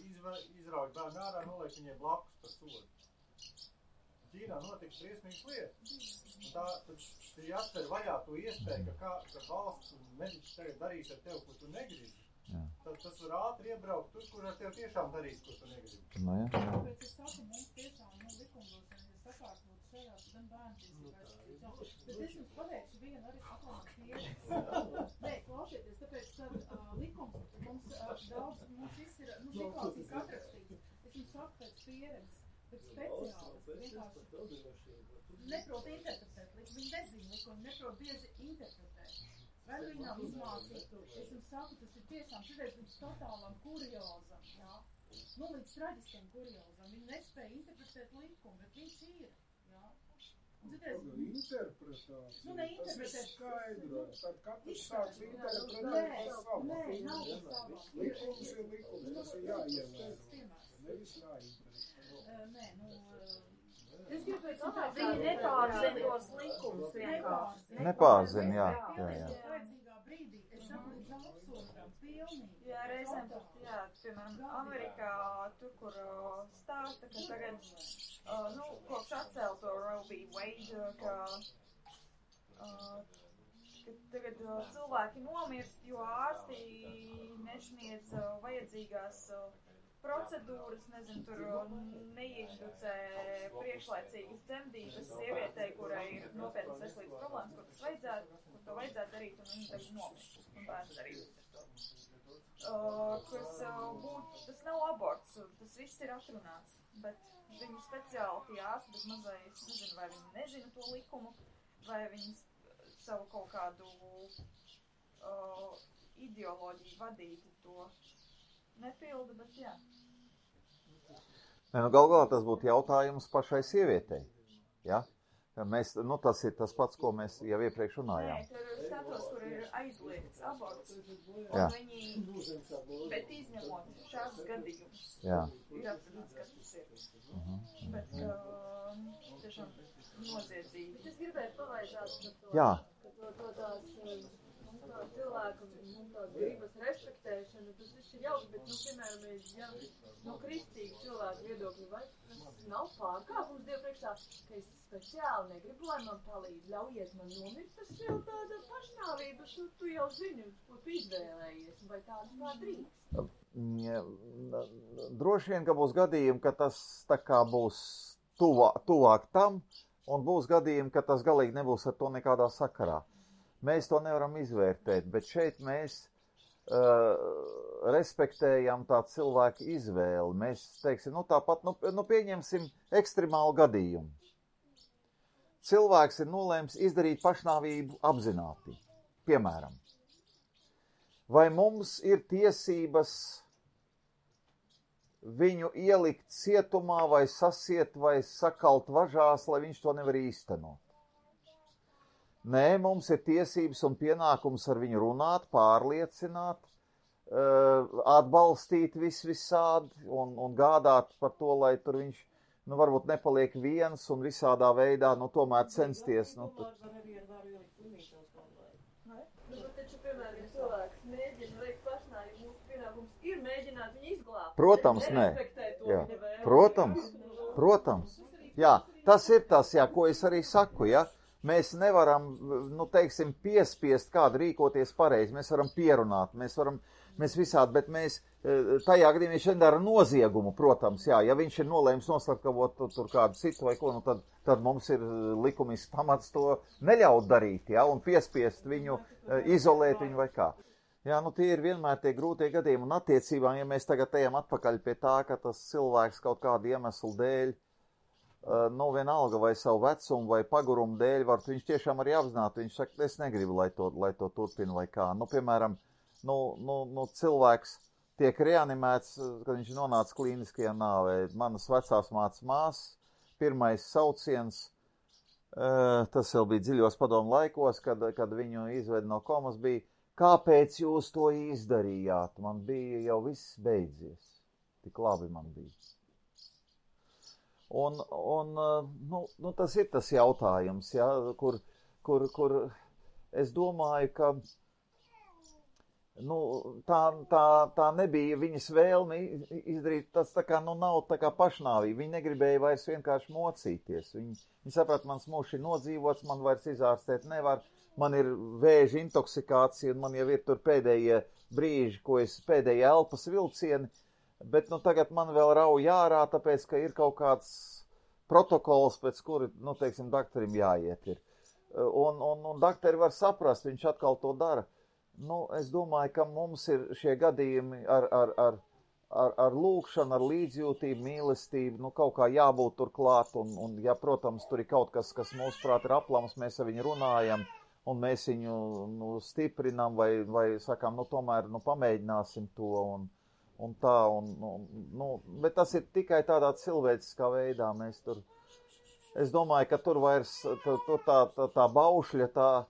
izrauj bērnu ārā, noliek viņiem blakus par sodu. Ķīnā notika briesmīgas lietas. Un tad jāatver vaļā to iespēju, ka valsts un mediķis tagad darīs ar tevi, ko tu negribi. Tad tas var ātri iebraukt tur, kur ar tevi tiešām darīs, ko tu negribi. Tāpēc es saku, mums tiešām likumdošana ir sakārtot šajās gan bērntiesībās. Bet es jums pateikšu vienu arī aklānu pieredzi. Nē, klausieties, tāpēc, ka likums mums daudz, mums viss ir, situācijas atrakstīts. Es jums saku pēc pieredzes. Bet speciālisti vienkārši neprot interpretēt likumu, viņi nezina likumu, neprot bieži interpretēt. Vai viņi nav izmācīti? Es jums saku, tas ir tiešām šodien līdz totālam kuriozam, jā? Līdz traģiskiem kuriozam. Viņi nespēja interpretēt likumu, bet viņš ir, jā? Interpretācija. Neinterpretēt. Tas ir skaidro. Tad katrs sāks interpretēt par savu. Nē, nav par savu. Likums ir likums, tas ir jāievēro. Nevis jāinterpretē. Es gribēju citāt, viņi nepārzina tos likumus vienkārši. Nepārzina, jā. Vajadzīgā brīdī, es saku, līdz absurdam, pilnīgi. Jā, reizēm pat, piemēram, Amerikā, tur, kur stāsta, ka tagad, kopš atcelto Roe v. Wade, ka tagad cilvēki nomirst, jo ārsti nesniedz vajadzīgās procedūras, nezinu, tur neinducē priekšlaicīgas dzemdības sievietei, kurai ir nopietnas veselības problēmas, kur to vajadzētu darīt, un viņi tagad nomirst, un bērns darīt. Tas nav aborts, tas viss ir atrunāts, bet viņi speciāli tie ārsti bez mazai, es nezinu, vai viņi nezina to likumu, vai viņi savu kaut kādu ideoloģiju vadīti to nepilda, bet jā. Gal galā tas būtu jautājums pašai sievietei, ja? Mēs, tas ir tas pats, ko mēs jau iepriekš runājām. Nē, tur status, kur ir aizliegts aborts, un Jā. viņi, bet izņemot šādus gadījumus, Jā. ir atrunāts, kas tas ir. Bet, tiešām noziedzīgi. Es gribēju pavaicāt par to, Jā. ka tās cilvēku tās gribas respektēšana, tas viss ir jauks, bet, piemēram, ja no kristīgu cilvēku viedokļu, vai tas nav pārkāpums Dievu priekšā, ka es speciāli negribu, lai man palīdz, ļaujiet man nomirt, tas jau tāda pašnāvība, tu jau zini, ko tu izvēlējies, vai tādu kā drīkst. Droši vien, ka būs gadījumi, ka tas tā kā būs tuvāk tam, un būs gadījumi, ka tas galīgi nebūs ar to nekādā sakarā. Mēs to nevaram izvērtēt, bet šeit mēs respektējam tā cilvēka izvēli. Mēs teiksim, tāpat, pieņemsim ekstremālu gadījumu. Cilvēks ir nolēms izdarīt pašnāvību apzināti, piemēram. Vai mums ir tiesības viņu ielikt cietumā vai sasiet vai sakalt važās, lai viņš to nevar īstenot? Nē, mums ir tiesības un pienākums ar viņu runāt, pārliecināt, atbalstīt visādi un gādāt par to, lai tur viņš, varbūt nepaliek viens un visādā veidā, tomēr censties. Taču, piemēram, cilvēks mēģina veikt pašnāvību, mūsu pienākums ir mēģināt viņu izglābt. Protams, nē. Jā. Protams. Jā, tas ir tas, ko es arī saku, ja. Mēs nevaram, piespiest kādu rīkoties pareizi. Mēs varam pierunāt, mēs visādi, bet mēs tajā gadījumā viņš nedara noziegumu, protams, jā. Ja viņš ir nolēms noslapkavot tur kādu citu vai ko, tad mums ir likumisks pamats to neļaut darīt, jā, un piespiest viņu, izolēt viņu vai kā. Jā, tie ir vienmēr tie grūtie gadījumi, un attiecībām, ja mēs tagad ejam atpakaļ pie tā, ka tas cilvēks kaut kādu iemeslu dēļ, vienalga vai savu vecumu vai pagurumu dēļ, viņš tiešām arī apzināti, viņš saka, es negribu, lai to turpina vai kā. Piemēram, cilvēks tiek reanimēts, kad viņš nonāca klīniskajā nāvē. Manas vecās mācas, pirmais sauciens, tas jau bija dziļos padomu laikos, kad viņu izved no komas, bija, kāpēc jūs to izdarījāt? Man bija jau viss beidzies. Tik labi man bija. Un tas ir tas jautājums, ja, kur es domāju, ka tā nebija viņas vēlme izdarīt, tas tā kā nav tā kā pašnāvība. Viņi negribēja vairs vienkārši mocīties. Viņi saprata, mans mūžs ir nodzīvots, man vairs izārstēt nevar, man ir vēža intoksikācija, un man jau ir tur pēdējie brīži, pēdējie elpas vilcieni, bet tagad man vēl rauj ārā, tāpēc, ka ir kaut kāds protokols, pēc kuri, teiksim, daktarim jāiet ir. Un daktari var saprast, viņš atkal to dara. Es domāju, ka mums ir šie gadījumi ar lūkšanu, ar līdzjūtību, mīlestību, kaut kā jābūt tur klāt, un ja, protams, tur ir kaut kas mūsuprāt ir aplams, mēs ar viņu runājam, un mēs viņu stiprinām, vai sakām, tomēr, pamēģināsim to, un tā, bet tas ir tikai tādā cilvēciskā veidā, mēs tur, es domāju, ka tur vairs, tā baušļa, tā,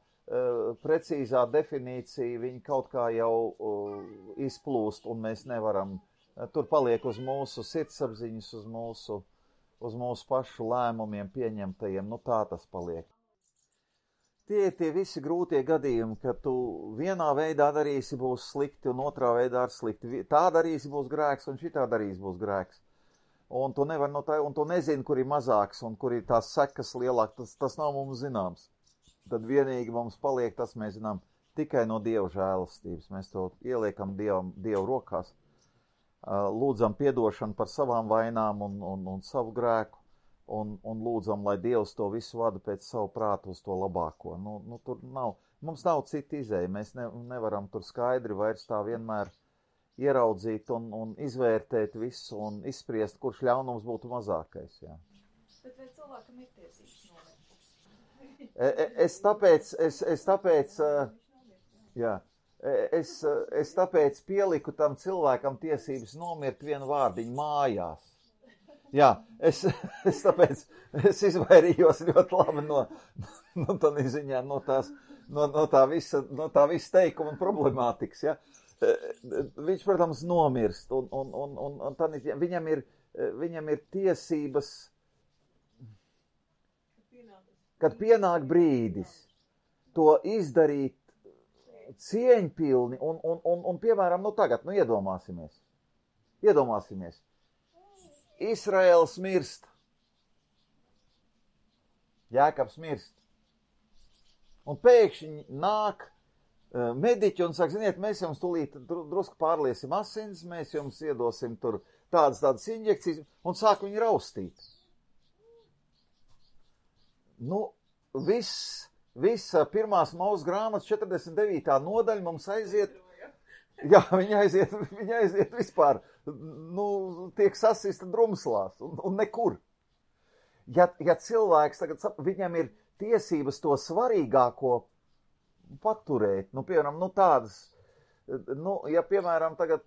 precīzā definīcija, viņi kaut kā jau izplūst, un mēs nevaram, tur paliek uz mūsu sirdsapziņas, uz mūsu pašu lēmumiem pieņemtajiem, tā tas paliek. Tie visi grūtie gadījumi, ka tu vienā veidā darīsi būs slikti, un otrā veidā ar slikti. Tā darīsi būs grēks, un šitā darīsi būs grēks. Un tu nevar un tu nezini, kur ir mazāks, un kur ir tās sekas lielāk, tas nav mums zināms. Tad vienīgi mums paliek tas, mēs zinām, tikai no Dieva žēlastības. Mēs to ieliekam Dievu rokās, lūdzam piedošanu par savām vainām un savu grēku, un lūdzam, lai Dievs to visu vada pēc savu prātu uz to labāko. Tur mums nav cita izēja, mēs nevaram tur skaidri vairs tā vienmēr ieraudzīt un izvērtēt visu un izspriest, kurš ļaunums būtu mazākais. Jā. Bet vai cilvēkam ir tiesības nomert? Es tāpēc pieliku tam cilvēkam tiesības nomirt vienu vārdiņu mājās. Jā, es izvairījos ļoti labi no tā visa teikuma un problemātikas, ja. Viņš, protams, nomirst, un viņam ir tiesības, kad pienāk brīdis to izdarīt cieņpilni un piemēram, tagad, iedomāsimies. Izraēls mirst. Jēkabs mirst. Un pēkšņi nāk mediķi un saka, ziniet, mēs jums tūlīt drusku pārliesim asins, mēs jums iedosim tur tādas injekcijas, un sāk viņu raustīt. Visa pirmās Mūzes grāmatas 49. nodaļa mums aiziet, jā, viņa aiziet vispār, tiek sasista drumslās un nekur. Ja cilvēks tagad, viņam ir tiesības to svarīgāko paturēt, piemēram, tādas, ja, piemēram, tagad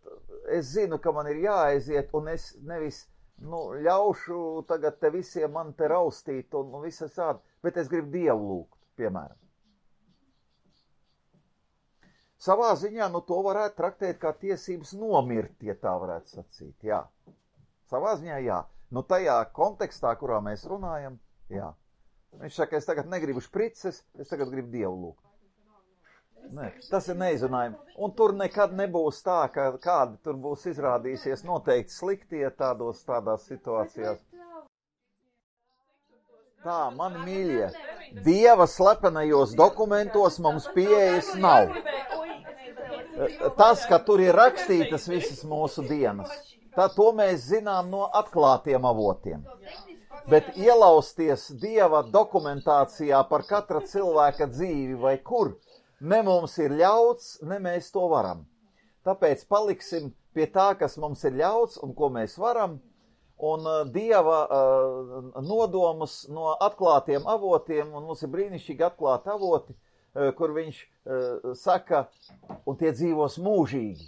es zinu, ka man ir jāaiziet, un es nevis, ļaušu tagad te visiem man te raustīt un visas tādi, bet es gribu Dievu lūgt, piemēram. Savā ziņā, to varētu traktēt kā tiesības nomirt, ja tā varētu sacīt, jā. Savā ziņā, jā. Tajā kontekstā, kurā mēs runājam, jā. Viņš saka, es tagad negribu šprices, es tagad gribu Dievu lūgt. Nē, tas ir neizrunājumi. Un tur nekad nebūs tā, ka kādi tur būs izrādīsies noteikti sliktie tādās situācijās. Tā, mani mīļie, Dieva slepenajos dokumentos mums pieejas nav. Tas, ka tur ir rakstītas visas mūsu dienas, to mēs zinām no atklātiem avotiem. Bet ielausties Dieva dokumentācijā par katra cilvēka dzīvi vai kur, ne mums ir ļauts, ne mēs to varam. Tāpēc paliksim pie tā, kas mums ir ļauts un ko mēs varam, un Dieva nodomus no atklātiem avotiem, un mums ir brīnišķīgi atklāti avoti, kur viņš saka, un tie dzīvos mūžīgi.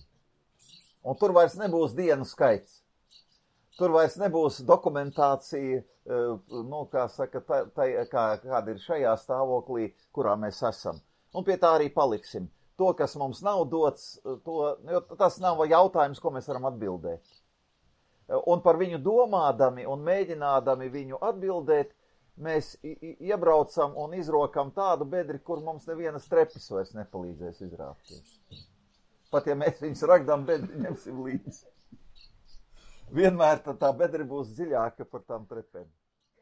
Un tur vairs nebūs dienu skaits. Tur vairs nebūs dokumentācija, kā saka, kāda ir šajā stāvoklī, kurā mēs esam. Un pie tā arī paliksim. to, kas mums nav dots, jo tas nav jautājums, ko mēs varam atbildēt. Un par viņu domādami un mēģinādami viņu atbildēt, mēs iebraucam un izrokam tādu bedri, kur mums nevienas trepis vairs nepalīdzēs izrāpties. Pat ja mēs viņus ragdām bedri ņemsim līdzi. Vienmēr tā bedri būs dziļāka par tām trepēm.